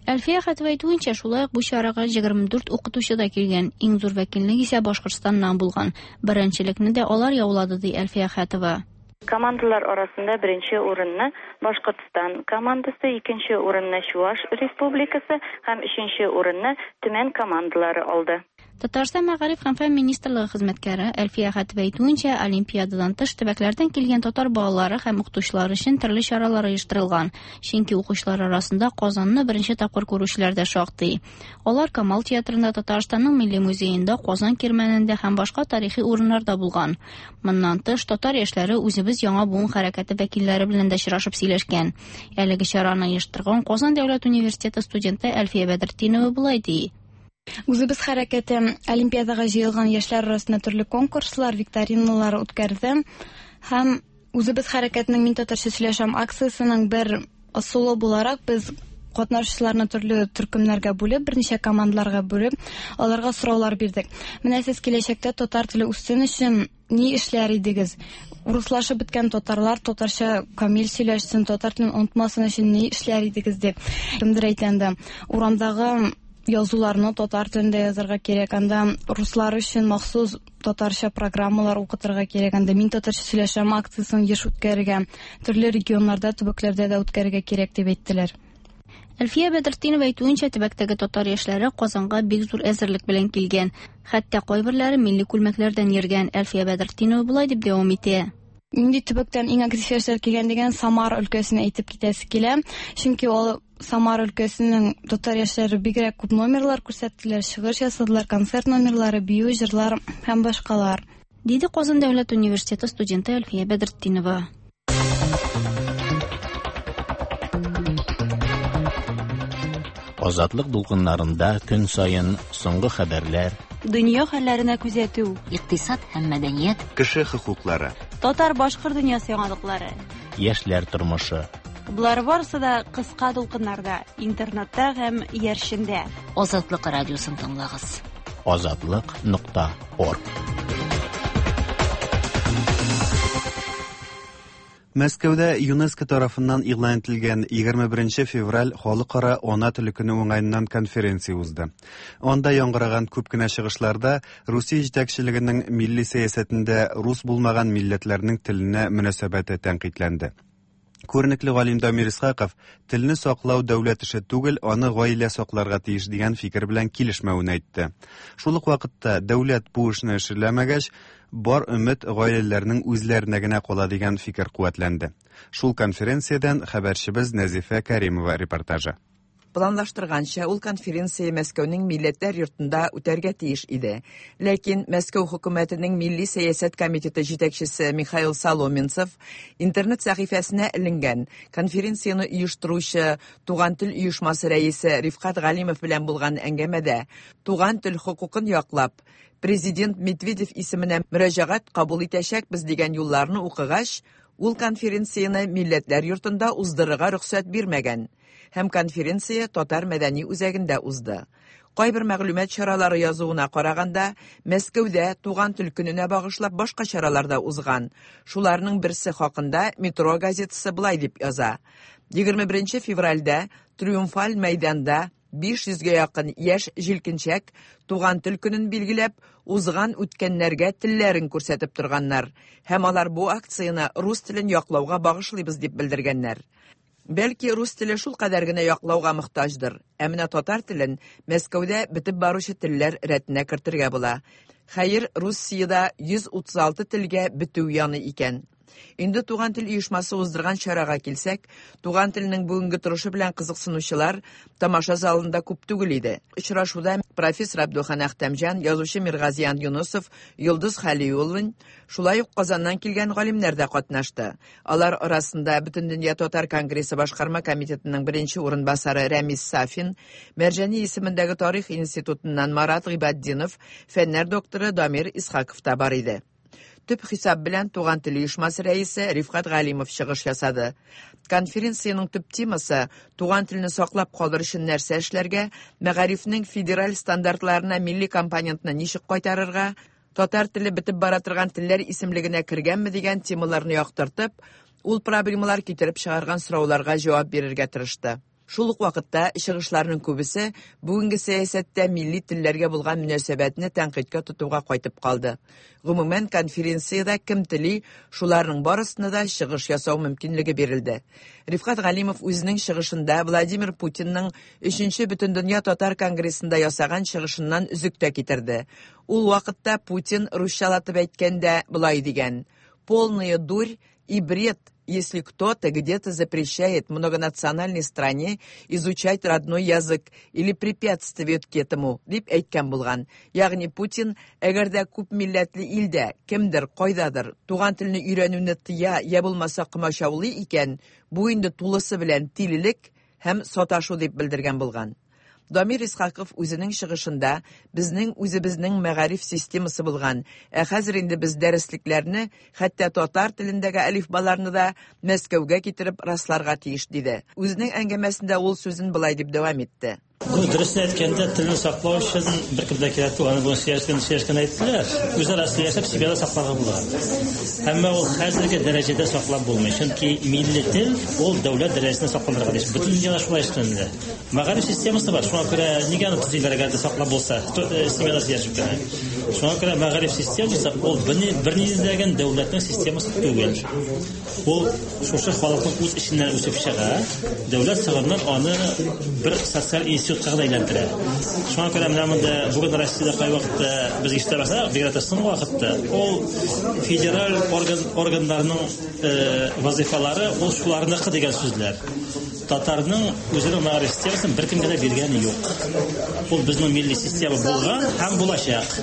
Әлфия Хәтова әйтүенчә, шулай ук бу чарага егерме дүрт укытучы да килгән. Иң зур вәкиллек исә Башкортстаннан булган. Беренчелекне дә алар яулады, ди Әлфия Хәтова. Командалар арасында беренче урынны Башкортстан командасы, икенче урынны Чуваш республикасы һәм өченче урынны Төмән командалары алды. Татарстан Мәгариф һәм фән министрлыгы хезмәткәре Әлфия Хәтова әйтүенчә, олимпиададан тыш төбәкләрдән килгән татар балалары һәм укытучылар өчен төрле чаралар оештырылган. Чөнки укучылар арасында Казанны беренче тапкыр күрүчеләр дә шактый. Алар Камал театрында, Татарстанның милли музеенда, Казан кирмәнендә һәм башка тарихи урыннарда булган. Моннан тыш, татар яшьләре үзебез яңа буын хәрәкәте вәкилләре белән дә очрашып сөйләшкән. Әлеге чараны оештырган Казан дәүләт университеты студенты Әлфия Бәдретдинова болай ди. Үзебез хәрәкәте олимпиадага җыелган яшьләр арасында төрле конкурслар, викториналар үткәрде һәм үзебез хәрәкәтенең Мин татарча сөйләшәм акциясенең бер ысулы буларак без катнашучыларны төрле төркемнәргә бүлеп, берничә командаларга бүлеп, аларга сораулар бирдек. Менә сез киләчәктә татар теле үссен өчен ни эшләр идегез? Руслашып беткән татарлар татарча камил сөйләшсен, татар телен онытмасын өчен ни эшләр идегез дип. Кемдер әйтәнде, урамдагы язуларны татар телендә язарга кирәк, анда руслар өчен махсус татарча программалар укытырга кирәк, анда Мин татарча сөйләшәм акциясен еш үткәрергә, төрле регионнарда, төбәкләрдә дә үткәрергә кирәк дип әйттеләр. Әлфия Бәдретдинова әйтүенчә, төбәктәге татар яшьләре Казанга бик зур әзерлек белән килгән. Хәтта кайберләре милли күлмәкләрдән йөргән. Әлфия Бәдретдинова болай дип дәвам итә. Нинди төбәктән иң актив яшьләр килгән дигән Самара өлкәсен әйтеп китәсе килә. Чөнки ул Самара өлкәсенең татар яшьләре бигрәк күп номерлар күрсәттеләр, чыгыш ясадылар, концерт номерлары, бию, җырлар һәм башкалар. Диде Казан дәүләт университеты студенты Әлфия Бәдретдинова. Азатлык дулкыннарында көн саен соңгы хәбәрләр, дөнья хәлләренә күзәтү, икътисад һәм мәдәният, кеше хокуклары, татар-башкорт дөньясы яңалыклары, яшьләр тормышы. Болар барысы да кыска дулкыннарда, интернетта һәм иярчендә. Азатлык радиосын тыңлагыз. Азатлык нокта орг. Мәскәүдә ЮНЕСКО тарафыннан игълан ителгән егерме беренче февраль халыкара ана теле көне уңаеннан конференция узды. Анда яңгыраган күп кенә чыгышларда Русия җитәкчелегенең милли сәясәтендә рус булмаган милләтләрнең теленә мөнәсәбәте тәнкыйтьләнде. Күренекле галим Дамир Исхаков телне саклау дәүләт эше түгел, аны гаилә сакларга тиеш дигән фикер белән килешмәвен әйтте. Шул ук вакытта дәүләт бу эшне эшләмәгәч, бар өмет гаиләләрнең үзләренә генә кала дигән фикер куәтләнде. Шул конференциядән хәбәрчебез Нәзифә Кәримова репортажы. Планлаштырганча, ул конференция Мәскәүнең Милләтләр йортында үтәргә тиеш иде. Ләкин Мәскәү хөкүмәтенең Милли сәясәт комитеты җитәкчесе Михаил Соломенцев интернет сәхифәсенә эленгән конференцияне оештыручы Туган тел оешмасы рәисе Рифкат Галимов белән булган әңгәмәдә туган тел хокукын яклап, президент Медведев исеменә мөрәҗәгать кабул итәчәкбез дигән юлларны укыгач, ул конференцияне Милләтләр йортында уздырырга рөхсәт бирмәгән. Һәм конференция Татар мәдәни үзәгендә узды. Кайбер мәгълүмат чаралары язуына караганда, Мәскәүдә туган тел көненә багышлап башка чаралар да узган. Шуларның берсе хакында Метро газетасы былай дип яза. егерме беренче февральдә Триумфаль мәйданда биш йөзгә якын яшь җилкенчәк туган тел көнен билгеләп, узган үткәннәргә телләрен күрсәтеп торганнар. Һәм алар бу акцияне рус телен яклауга багышлыйбыз дип белдергәннәр. Бәлки рус теле шул кадәр генә яклауга мохтаҗдыр. Ә менә татар телен Мәскәүдә бетеп баручы телләр рәтенә кертергә була. Хәер, Русиядә йөз утыз алты телгә бетү яны икән. Инде Туган тел оешмасы уздырган чарага килсәк, туган телнең бүгенге торышы белән кызыксынучылар тамаша залында күп түгел иде. Очрашуда профессор Абдулхан Әхтәмҗан, язучы Миргазиян Юнусов, Йолдыз Хәлиуллин, шулай ук Казаннан килгән галимнәр дә катнашты. Алар арасында Бөтендөнья татар конгрессы башкарма комитетының беренче урынбасары Рәмис Сафин, Мәрҗани исемендәге тарих институтыннан Марат Гыйбатдинов, фәннәр докторы Дамир Исхаков та бар иде. Төп хисап белән Туган тел оешмасы рәисе Рифкать Галимов чыгыш ясады. Конференциянең төп темасы туган телне саклап калыр өчен нәрсә эшләргә, мәгарифнең федераль стандартларына милли компонентны ничек кайтарырга, татар теле бетеп бара торган телләр исемлегенә кергәнме дигән темаларны яктыртып, ул проблемалар китереп чыгарган сорауларга җавап бирергә тырышты. Шул ук вакытта чыгышларның күбесе бүгенге сәясәттә милли телләргә булган мөнәсәбәтне тәнкыйтькә тотуга кайтып калды. Гомумән, конференциядә кем тели, шуларның барысына да чыгыш ясау мөмкинлеге бирелде. Рифкать Галимов үзенең чыгышында Владимир Путинның өченче Бөтендөнья татар конгрессында ясаган чыгышыннан өзек тә китерде. Ул вакытта Путин русчалатып әйткәндә болай дигән: «Полная дурь и бред, если кто-то где-то запрещает многонациональной стране изучать родной язык или препятствует к этому», дип әйткән булган. Ягъни Путин, әгәр дә күп милләтле илдә кемдер кайдадыр туган телне өйрәнүне тыя я булмаса комачаулый икән, бу инде тулысы белән тилелек һәм саташу дип белдергән булган. Дамир Исхаков үзенең чыгышында безнең үзебезнең мәгариф системасы булган, ә хәзер инде без дәреслекләрне, хәтта татар телендәге әлифбаларны да Мәскәүгә китереп расларга тиеш диде. Үзенең әңгәмәсендә ул сүзен болай дип дәвам итте. Ну, дөресен әйткәндә, телне саклау өчен беркем дә кирәк түгел. Аны бүген сөйләшкән, сөйләшкән әйттеләр. Үзара сөйләшеп, семьяда сакларга була. Әмма ул хәзерге дәрәҗәдә саклап булмый. Чөнки милли тел ул дәүләт дәрәҗәсендә сакланырга тиеш. Бөтен дөньяда шулай эшләнелә. Мәгариф системасы бар. Шуңа күрә нигә аны төзиләр, әгәр дә саклап булса, семьяда сөйләшеп кенә. Шуңа күрә мәгариф системасы ул бернинди дәүләтнең системасы түгел. Ул шушы халыкның үз эченнән үсеп чыга. Дәүләт сагыннан аны бер социаль институтка гына әйләндерә. Шуңа күрә менә монда бүген Россиядә кайвакытта без ишетә башласак, бигрәк тә соңгы вакытта, ул федераль орган органнарның вазифалары ул шуларныкы дигән сүзләр. Татарның үзенең мәгариф системасын беркемгә дә биргәне юк. Ул безнең милли система булган һәм булачак.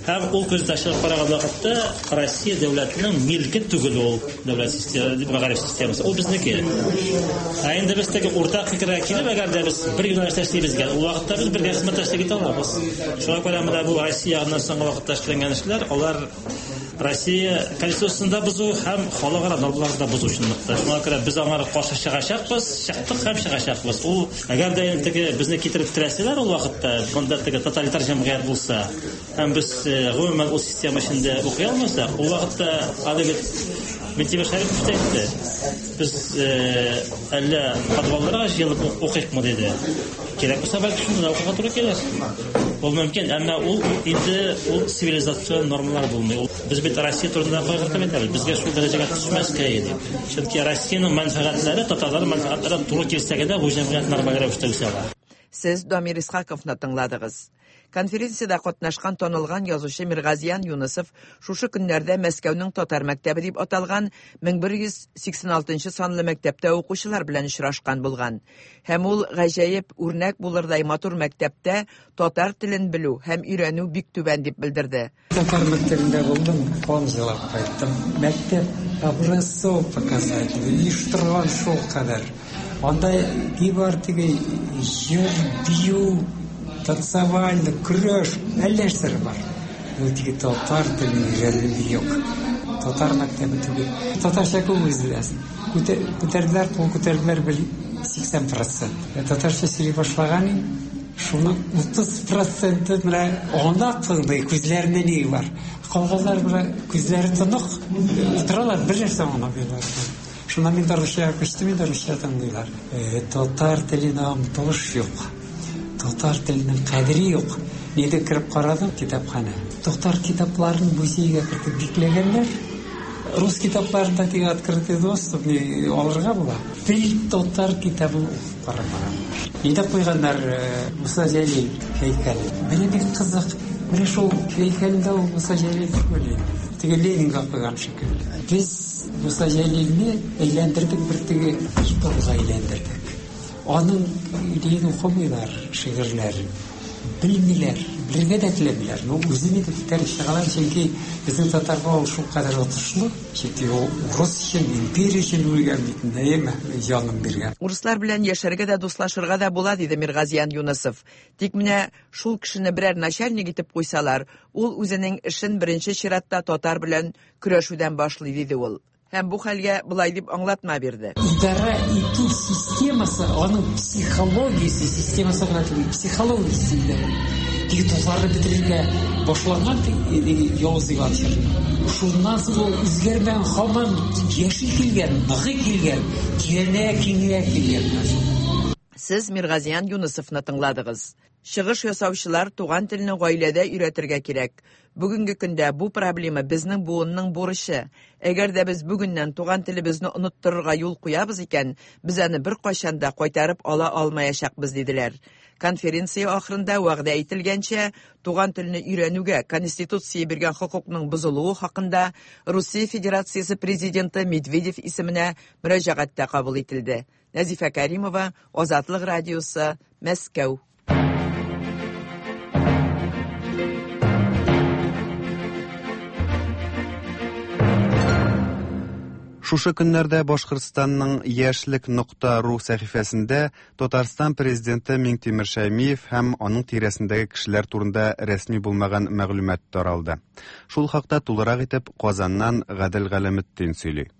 Һәм ул күз ташлап караган вакытта Россия дәүләтенең милке түгел ул дәүләт системасы, мәгариф системасы. Ул безнеке. Ә инде без теге уртак фикергә килеп, әгәр дә без бер юнәлештә эшлибез икән, ул вакытта без бергә хезмәттәшлек итә алабыз. Шуңа күрә менә бу Россия ягыннан соңгы вакытта эшләнгән эшләр, алар Россия конституциясен дә бозу һәм халыкара нормаларны да бозу чынлыкта. Шуңа күрә без аңа каршы чыгачакбыз, чыктык һәм чыгачакбыз. Ул әгәр дә инде теге безне китереп терәсәләр ул вакытта, монда теге тоталитар җәмгыять булса, һәм без гомумән ул система эчендә укый алмасак, ул вакытта аны бит Минтимер Шәрипов та әйтте. Без әллә подвалларга җыелып укыйкмы диде. Кирәк булса, бәлки шунда да укырга туры килер. Ул мөмкин, әмма ул инде ул цивилизацион нормалар булмый. Ул без бит Россия турында кайгыртып әйтәбез. Безгә шул дәрәҗәгә төшмәскә иде. Чөнки Россиянең мәнфәгатьләре татарларның мәнфәгатьләренә туры килсә генә бу җәмгыять нормаль рәвештә үсә ала. Сез Дамир Исхаковны тыңладыгыз. Конференциядә катнашкан танылган язучы Миргазиян Юнусов шушы көннәрдә Мәскәүнең татар мәктәбе дип аталган мең бер йөз сиксән алтынчы санлы мәктәптә укучылар белән очрашкан булган. Һәм ул гаҗәеп үрнәк булырдай матур мәктәптә татар телен белү һәм өйрәнү бик түбән дип белдерде. Татар мәктәбендә булдым, кан җылап кайттым. Мәктәп образцов показатель, оештырган шул кадәр. Анда ни бар теге җыр, бию, танцевальный, көрәш, әллә нәрсәләр бар. Ул теге татар телен өйрәнү юк. Татар мәктәбе түгел. Татарча күп үзләсен. Күтәрделәр, кул күтәрделәр бер сиксән процент. Татарча сөйли башлаган шуның утыз проценты менә аңлап тыңлый, күзләрендә ни бар. Калганнар менә күзләре тонык, утыралар, бер нәрсә аңламыйлар. Шуннан мин дә русчага күчтем, мин дә русча тыңлыйлар. Татар теленә омтылыш юк. Татар теленең кадере юк. Нидә кереп карадым китапханә. Татар китапларын музейга кертеп бикләгәннәр. Рус китапларында теге открытый доступ не алырга була. Бер татар китабын укып карамаган. Нидә куйганнар Муса Җәлил һәйкәле. Менә бик кызык. Менә шул һәйкәлдә ул Муса Җәлил түгел. теге Ленинга куйган шикелле. Без Муса Җәлилне әйләндердек, бер теге идолга әйләндердек. Аның идеяны укымыйлар, шигырьләрен белмиләр, белергә дә теләмиләр. Но үзе ни дип күтәреп чыгалар, чөнки безнең татарга ул шулкадәр отышлы, чөнки ул урыс өчен, империя өчен үлгән бит, әйеме, җанын биргән. Урыслар белән яшәргә дә, дуслашырга да була, диде Миргазиян Юнысов. Тик менә шул кешене берәр начальник итеп куйсалар, ул үзенең эшен беренче чиратта татар белән көрәшүдән башлый, диде ул. Һәм бу хәлгә болай дип аңлатма бирде. Идарә итү системасы, аның психологиясе системасы гына түгел, психологиясе дә. Теге дусларны бетерергә башланган теге Явыз Иван чорында. Шуннан соң ул үзгәрмәгән, һаман яши килгән, ныгый килгән, тирәнәя, киңәя килгән. Сез Миргазиян Юнысовны тыңладыгыз. Чыгыш ясаучылар туган телне гаиләдә өйрәтергә кирәк. Бүгенге көндә бу проблема безнең буынның бурычы. Әгәр дә без бүгеннән туган телебезне оныттырырга юл куябыз икән, без аны беркайчан да кайтарып ала алмаячакбыз, диделәр. Конференция ахырында вәгъдә ителгәнчә, туган телне өйрәнүгә Конституция биргән хокукның бозылуы хакында Русия Федерациясе президенты Медведев исеменә мөрәҗәгать тә кабул ителде. Нәзифә Каримова, Азатлык радиосы, Мәскәү. Шушы көннәрдә Башкортстанның яшьлек нокта ру сәхифәсендә Татарстан президенты Миңтимер Шәймиев һәм аның тирәсендәге кешеләр турында рәсми булмаган мәгълүмат таралды. Шул хакта тулырак итеп Казаннан Гадел Галәметдин сөйли.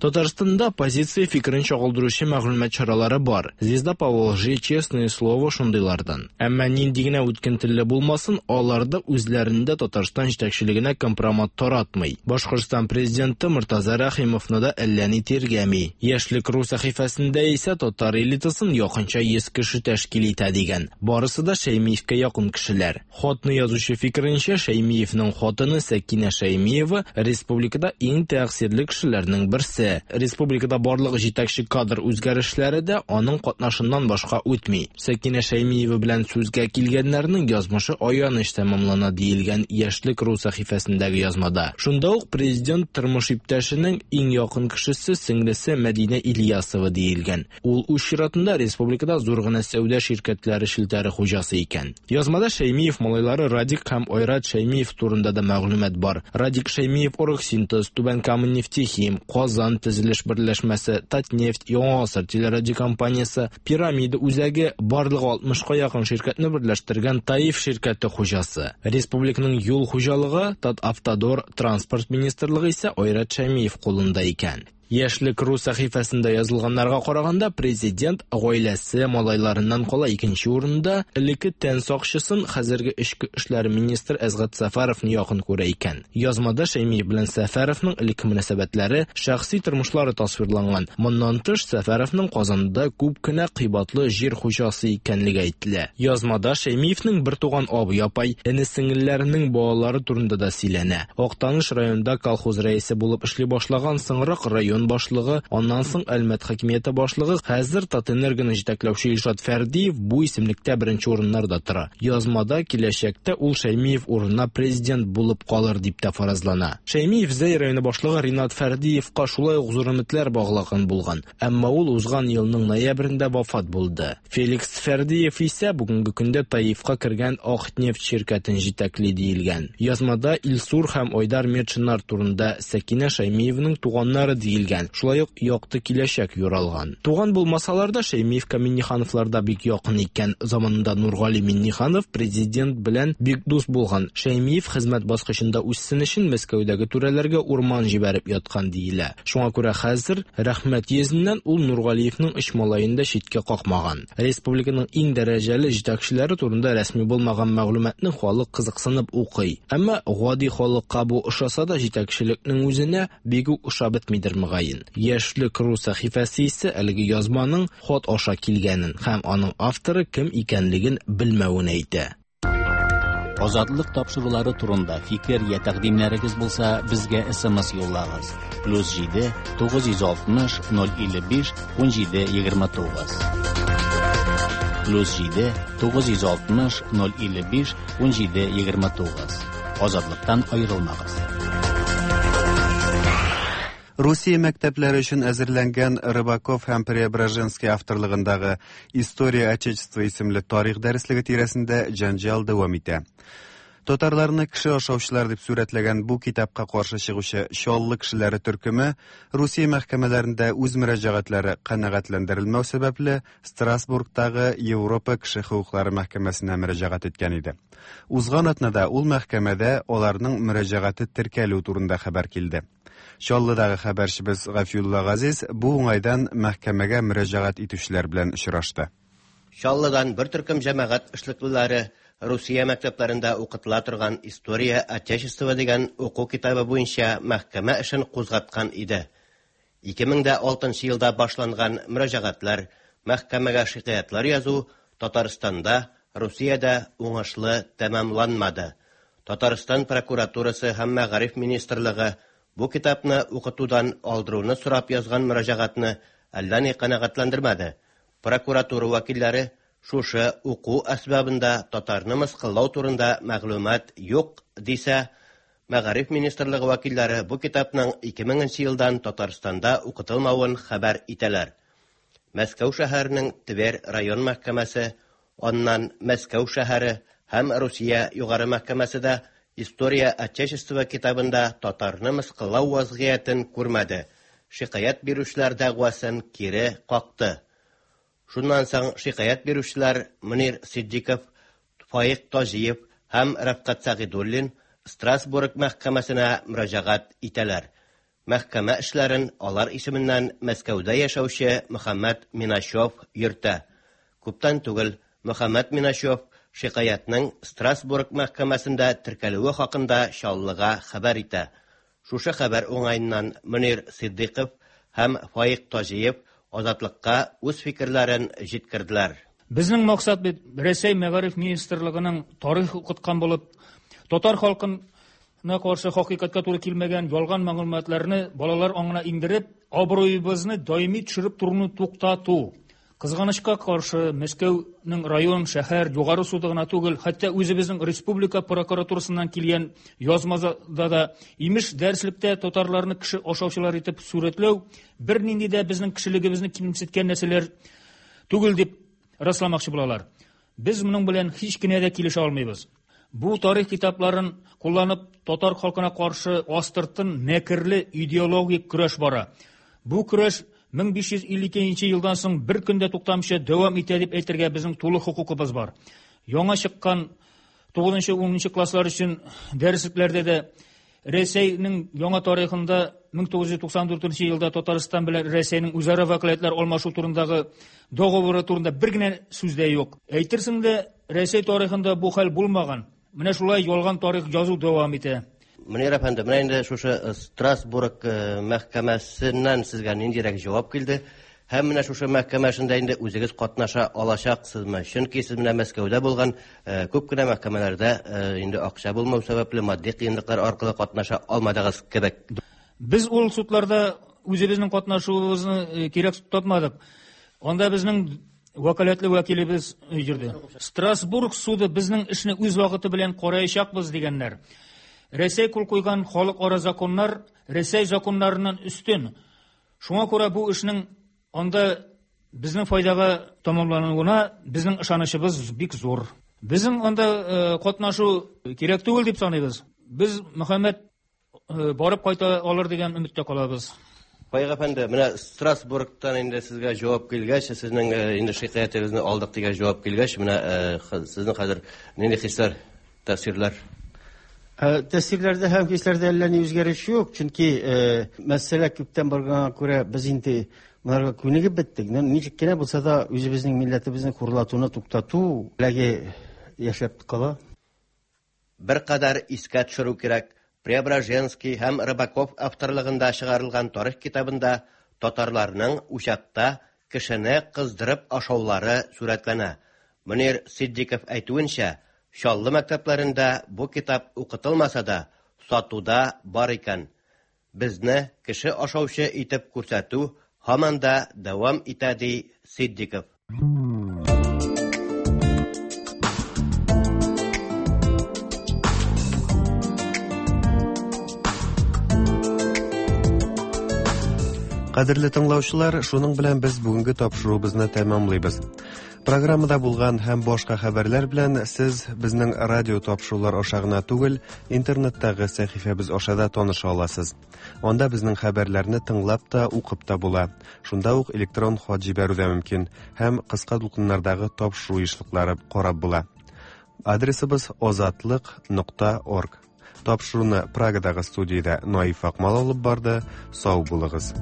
Татарстанда оппозиция фикерен чагылдыручы мәгълүмат чаралары бар. Звезда Поволжье, Честное слово шундыйлардан. Әмма нинди генә үткен телле булмасын, алар да үзләрендә Татарстан җитәкчелегенә компромат таратмый. Башкортстан президенты Мортаза Рәхимовны да әллә ни тиргәми. Яшьлек ру сәхифәсендә исә татар элитасын якынча йөз кеше тәшкил итә дигән. Барысы да Шәймиевкә якын кешеләр. Хатны язучы фикеренчә, Шәймиевнең хатыны Сәкинә Шәймиева республикада иң тәэсирле кешеләрнең берсе. Республикада барлык җитәкче кадр үзгәрешләре дә аның катнашыннан башка үтми. Сәкинә Шәймиева белән сүзгә килгәннәрнең язмышы аяныч тәмамлана диелгән Яшьлек ру сәхифәсендәге язмада. Шунда ук президент тормыш иптәшенең иң якын кешесе сеңлесе Мәдинә Ильясова диелгән. Ул үз чиратында республикада зур гына сәүдә ширкәтләре челтәре хуҗасы икән. Язмада Шәймиев малайлары Радик һәм Айрат Шәймиев турында да мәгълүмат бар. Радик Шәймиев Оргсинтез, Түбән Кама нефтехим, Казан төзелеш берләшмәсе, Татнефть, Яңа гасыр телерадиокомпаниясе, Пирамида үзәге, барлыгы алтмышка якын ширкәтне берләштергән Таиф ширкәте хуҗасы. Республиканың юл хуҗалыгы, Татавтодор, транспорт министрлыгы исә Айрат Шәймиев кулында икән. Яшьлек ру сәхифәсендә язылганнарга караганда, президент гаиләсе малайларыннан кала икенче урында элекке тән сакчысын хәзерге эчке эшләр министры Әсгать Сәфәровны якын күрә икән. Язмада Шәймиев белән Сәфәровның элекке мөнәсәбәтләре, шәхси тормышлары тасвирланган. Моннан тыш, Сәфәровның Казанда күп кенә кыйбатлы җир хуҗасы икәнлеге әйтелә. Язмада Шәймиевнең бертуган абый-апай, эне-сеңелләренең балалары турында да сөйләнә. Актаныш районында колхоз рәисе булып эшли башлаган, соңрак район башлыгы, аннан соң Әлмәт хакимияте башлыгы, хәзер Татэнергоны җитәкләүче Илшат Фәрдиев бу исемлектә беренче урыннарда тора. Язмада киләчәктә ул Шәймиев урынына президент булып калыр дип тә фаразлана. Шәймиев Зәй районы башлыгы Ринат Фәрдиевка шулай ук зур өметләр баглаган булган, әмма ул узган елның ноябрендә вафат булды. Феликс Фәрдиев исә бүгенге көндә Таифка кергән Акнефть ширкәтен җитәкли диелгән. Язмада Илсур һәм Айдар Метшиннар турында Сәкинә Шәймиевның туганнары диелгән. Шулай ук якты киләчәк юралган. Туган булмасалар да Шәймиевка Миннихановлар да бик якын икән. Заманында Нургали Минниханов президент белән бик дус булган. Шәймиев хезмәт баскычында үссен өчен Мәскәүдәге түрәләргә урман җибәреп яткан диелә. Шуңа күрә хәзер рәхмәт йөзеннән ул Нургалиевның өч малаен да читкә какмаган. Республиканың иң дәрәҗәле җитәкчеләре турында рәсми булмаган мәгълүматны халык кызыксынып укый. Әмма гади халыкка бу ошаса да җитәкчелекнең үзенә бик үк ошап бетмидер мөгаен. Яшьлек ру сәхифәсе исә әлеге язманың хат аша килгәнен һәм аның авторы кем икәнлеген белмәвен әйтә. Азатлык тапшырулары турында фикер я тәкъдимнәрегез булса, безгә С М С юллагыз. Плюс җиде тугыз йөз алтмыш ноль илле биш ун җиде егерме тугыз. Плюс җиде тугыз йөз алтмыш ноль илле биш ун җиде егерме тугыз. Азатлыктан аерылмагыз. Русия мәктәпләре өчен әзерләнгән Рыбаков һәм Преображенский авторлыгындагы «История Отечества» исемле тарих дәреслеге тирәсендә җәнҗал дәвам итә. Татарларны кеше ашаучылар дип сурәтләгән бу китапка каршы чыгучы Чаллы кешеләре төркеме Русия мәхкәмәләрендә үз мөрәҗәгатьләре канәгатьләндерелмәү сәбәпле Страсбургтагы Европа кеше хокуклары мәхкәмәсенә мөрәҗәгать иткән иде. Узган атнада ул мәхкәмәдә аларның мөрәҗәгате теркәлү турында хәбәр килде. Чаллыдагы хәбәрчебез Гафиулла Газиз бу уңайдан мәхкәмәгә мөрәҗәгать итүчеләр белән очрашты. Чаллыдан бер төркем җәмәгать эшлеклеләре Русия мәктәпләрендә укытыла торган «История Отечества» дигән уку китабы буенча мәхкәмә эшен кузгаткан иде. ике мең дә алтынчы елда башланган мөрәҗәгатьләр, мәхкәмәгә шикаятьләр язу Татарстанда, Русиядә уңышлы тәмамланмады. Татарстан прокуратурасы һәм Мәгариф министрлыгы бу китапны укытудан алдыруны сорап язган мөрәҗәгатьне әллә ни канәгатьләндермәде. Прокуратура вәкилләре шушы уку әсбабында татарны мыскыллау турында мәгълүмат юк дисә, Мәгариф министрлыгы вәкилләре бу китапның ике меңенче елдан Татарстанда укытылмавын хәбәр итәләр. Мәскәү шәһәренең Тверь район мәхкәмәсе, аннан Мәскәү шәһәре һәм Русия югары мәхкәмәсе дә «История Отечества» китабында татарны мыскыллау вазгыятен күрмәде. Шикаять бирүчеләр дәгъвасын кире какты. Шуннан соң шикаять бирүчеләр Мөнир Сиддиков, Фаик Таҗиев һәм Рәфкать Сәгыйдуллин Страсбург мәхкәмәсенә мөрәҗәгать итәләр. Мәхкәмә эшләрен алар исеменнән Мәскәүдә яшәүче Мөхәммәт Миначев йөртә. Күптән түгел Мөхәммәт Миначев шикаятьнең Страсбург мәхкәмәсендә теркәлүе хакында Чаллыга хәбәр итә. Шушы хәбәр уңаеннан Мөнир Сиддиков һәм Фаик Таҗиев Азатлыкка үз фикерләрен җиткерделәр. Безнең максат бит Рәсәй Мәгариф министрлыгының тарих укыткан булып, татар халкына каршы хакыйкатькә туры килмәгән ялган мәгълүматларны балалар аңына иңдереп, абруебызны даими төшереп торуны туктату. Кызганычка каршы Мәскәүнең район, шәһәр, югары суды гына түгел, хәтта үзебезнең республика прокуратурасыннан килгән язмада да имеш дәреслектә татарларны кеше ашаучылар итеп сурәтләү бернинди дә безнең кешелегебезне кимсеткән нәрсәләр түгел дип расламакчы булалар. Без моның белән һич кенә дә килешә алмыйбыз. Бу тарих китапларын кулланып татар халкына каршы астыртын мәкерле идеологик көрәш бара. Бу көрәш мең биш йөз илле икенче елдан соң бер көндә туктамыйча дәвам итә дип әйтергә безнең тулы хокукыбыз бар. Яңа чыккан тугызынчы, унынчы класслар өчен дәреслекләрдә дә Рәсәйнең яңа тарихында мең тугыз йөз туксан дүртенче елда Татарстан белән Рәсәйнең үзара вәкаләтләр алмашу турындагы договоры турында бер генә сүз дә юк. Әйтерсең дә Рәсәй тарихында бу хәл булмаган. Менә шулай ялган тарих язу дәвам итә. Мөнир әфәнде, менә инде шушы Страсбург мәхкәмәсеннән сезгә ниндирәк җавап килде? Һәм менә шушы мәхкәмә эшендә инде үзегез катнаша алачаксызмы? Чөнки сез менә Мәскәүдә булган күп кенә мәхкәмәләрдә инде акча булмау сәбәпле матди кыенлыклар аркылы катнаша алмадыгыз кебек. Без ул судларда үзебезнең катнашуыбызны кирәк тапмадык. Анда безнең вәкаләтле вәкилебез йөрде. Страсбург суды безнең эшне үз вакыты белән караячакбыз дигәннәр. Рәсәй кул куйган халыкара законнар Рәсәй законнарыннан өстен. Шуңа күрә бу эшнең анда безнең файдага тәмамлануына безнең ышанычыбыз бик зур. Безнең анда катнашу кирәк түгел дип саныйбыз. Без Мөхәммәт барып кайта алыр дигән өметтә калабыз. Фаик әфәнде, менә Страсбургтан инде сезгә җавап килгәч, сезнең инде шикаятегезне алдык дигән җавап килгәч, менә сезнең хәзер нинди хисләр, тәэсирләр? Тәэсирләрдә һәм хисләрдә әллә ни үзгәреш юк, чөнки мәсьәлә күптән барганга күрә без инде моңарга күнегеп беттек. Ничек кенә булса да үзебезнең милләтебезне хурлатуны туктату теләге яшәп кала. Беркадәр искә төшерү кирәк. Преображенский һәм Рыбаков авторлыгында чыгарылган тарих китабында татарларның учакта кешене кыздырып ашаулары сурәтләнә. Мөнир Сиддиков әйтүенчә, Чаллы мәктәпләрендә бу китап укытылмаса да, сатуда бар икән. Безне кеше ашаучы итеп күрсәтү һаман да дәвам итә, ди Сиддиков. Кадерле тыңлаучылар, шуның белән без бүгенге тапшыруыбызны тәмамлыйбыз. Программада булган һәм башка хәбәрләр белән сез безнең радио тапшырулар аша гына түгел, интернеттагы сәхифәбез аша да таныша аласыз. Анда безнең хәбәрләрне тыңлап та, укып та була. Шунда ук электрон хат җибәрү дә мөмкин һәм кыска дулкыннардагы тапшыру ешлыклары карап була. Адресыбыз озатлык нокта орг. Тапшыруны Прагадагы студиядә Наиф Акмал алып барды. Сау булыгыз.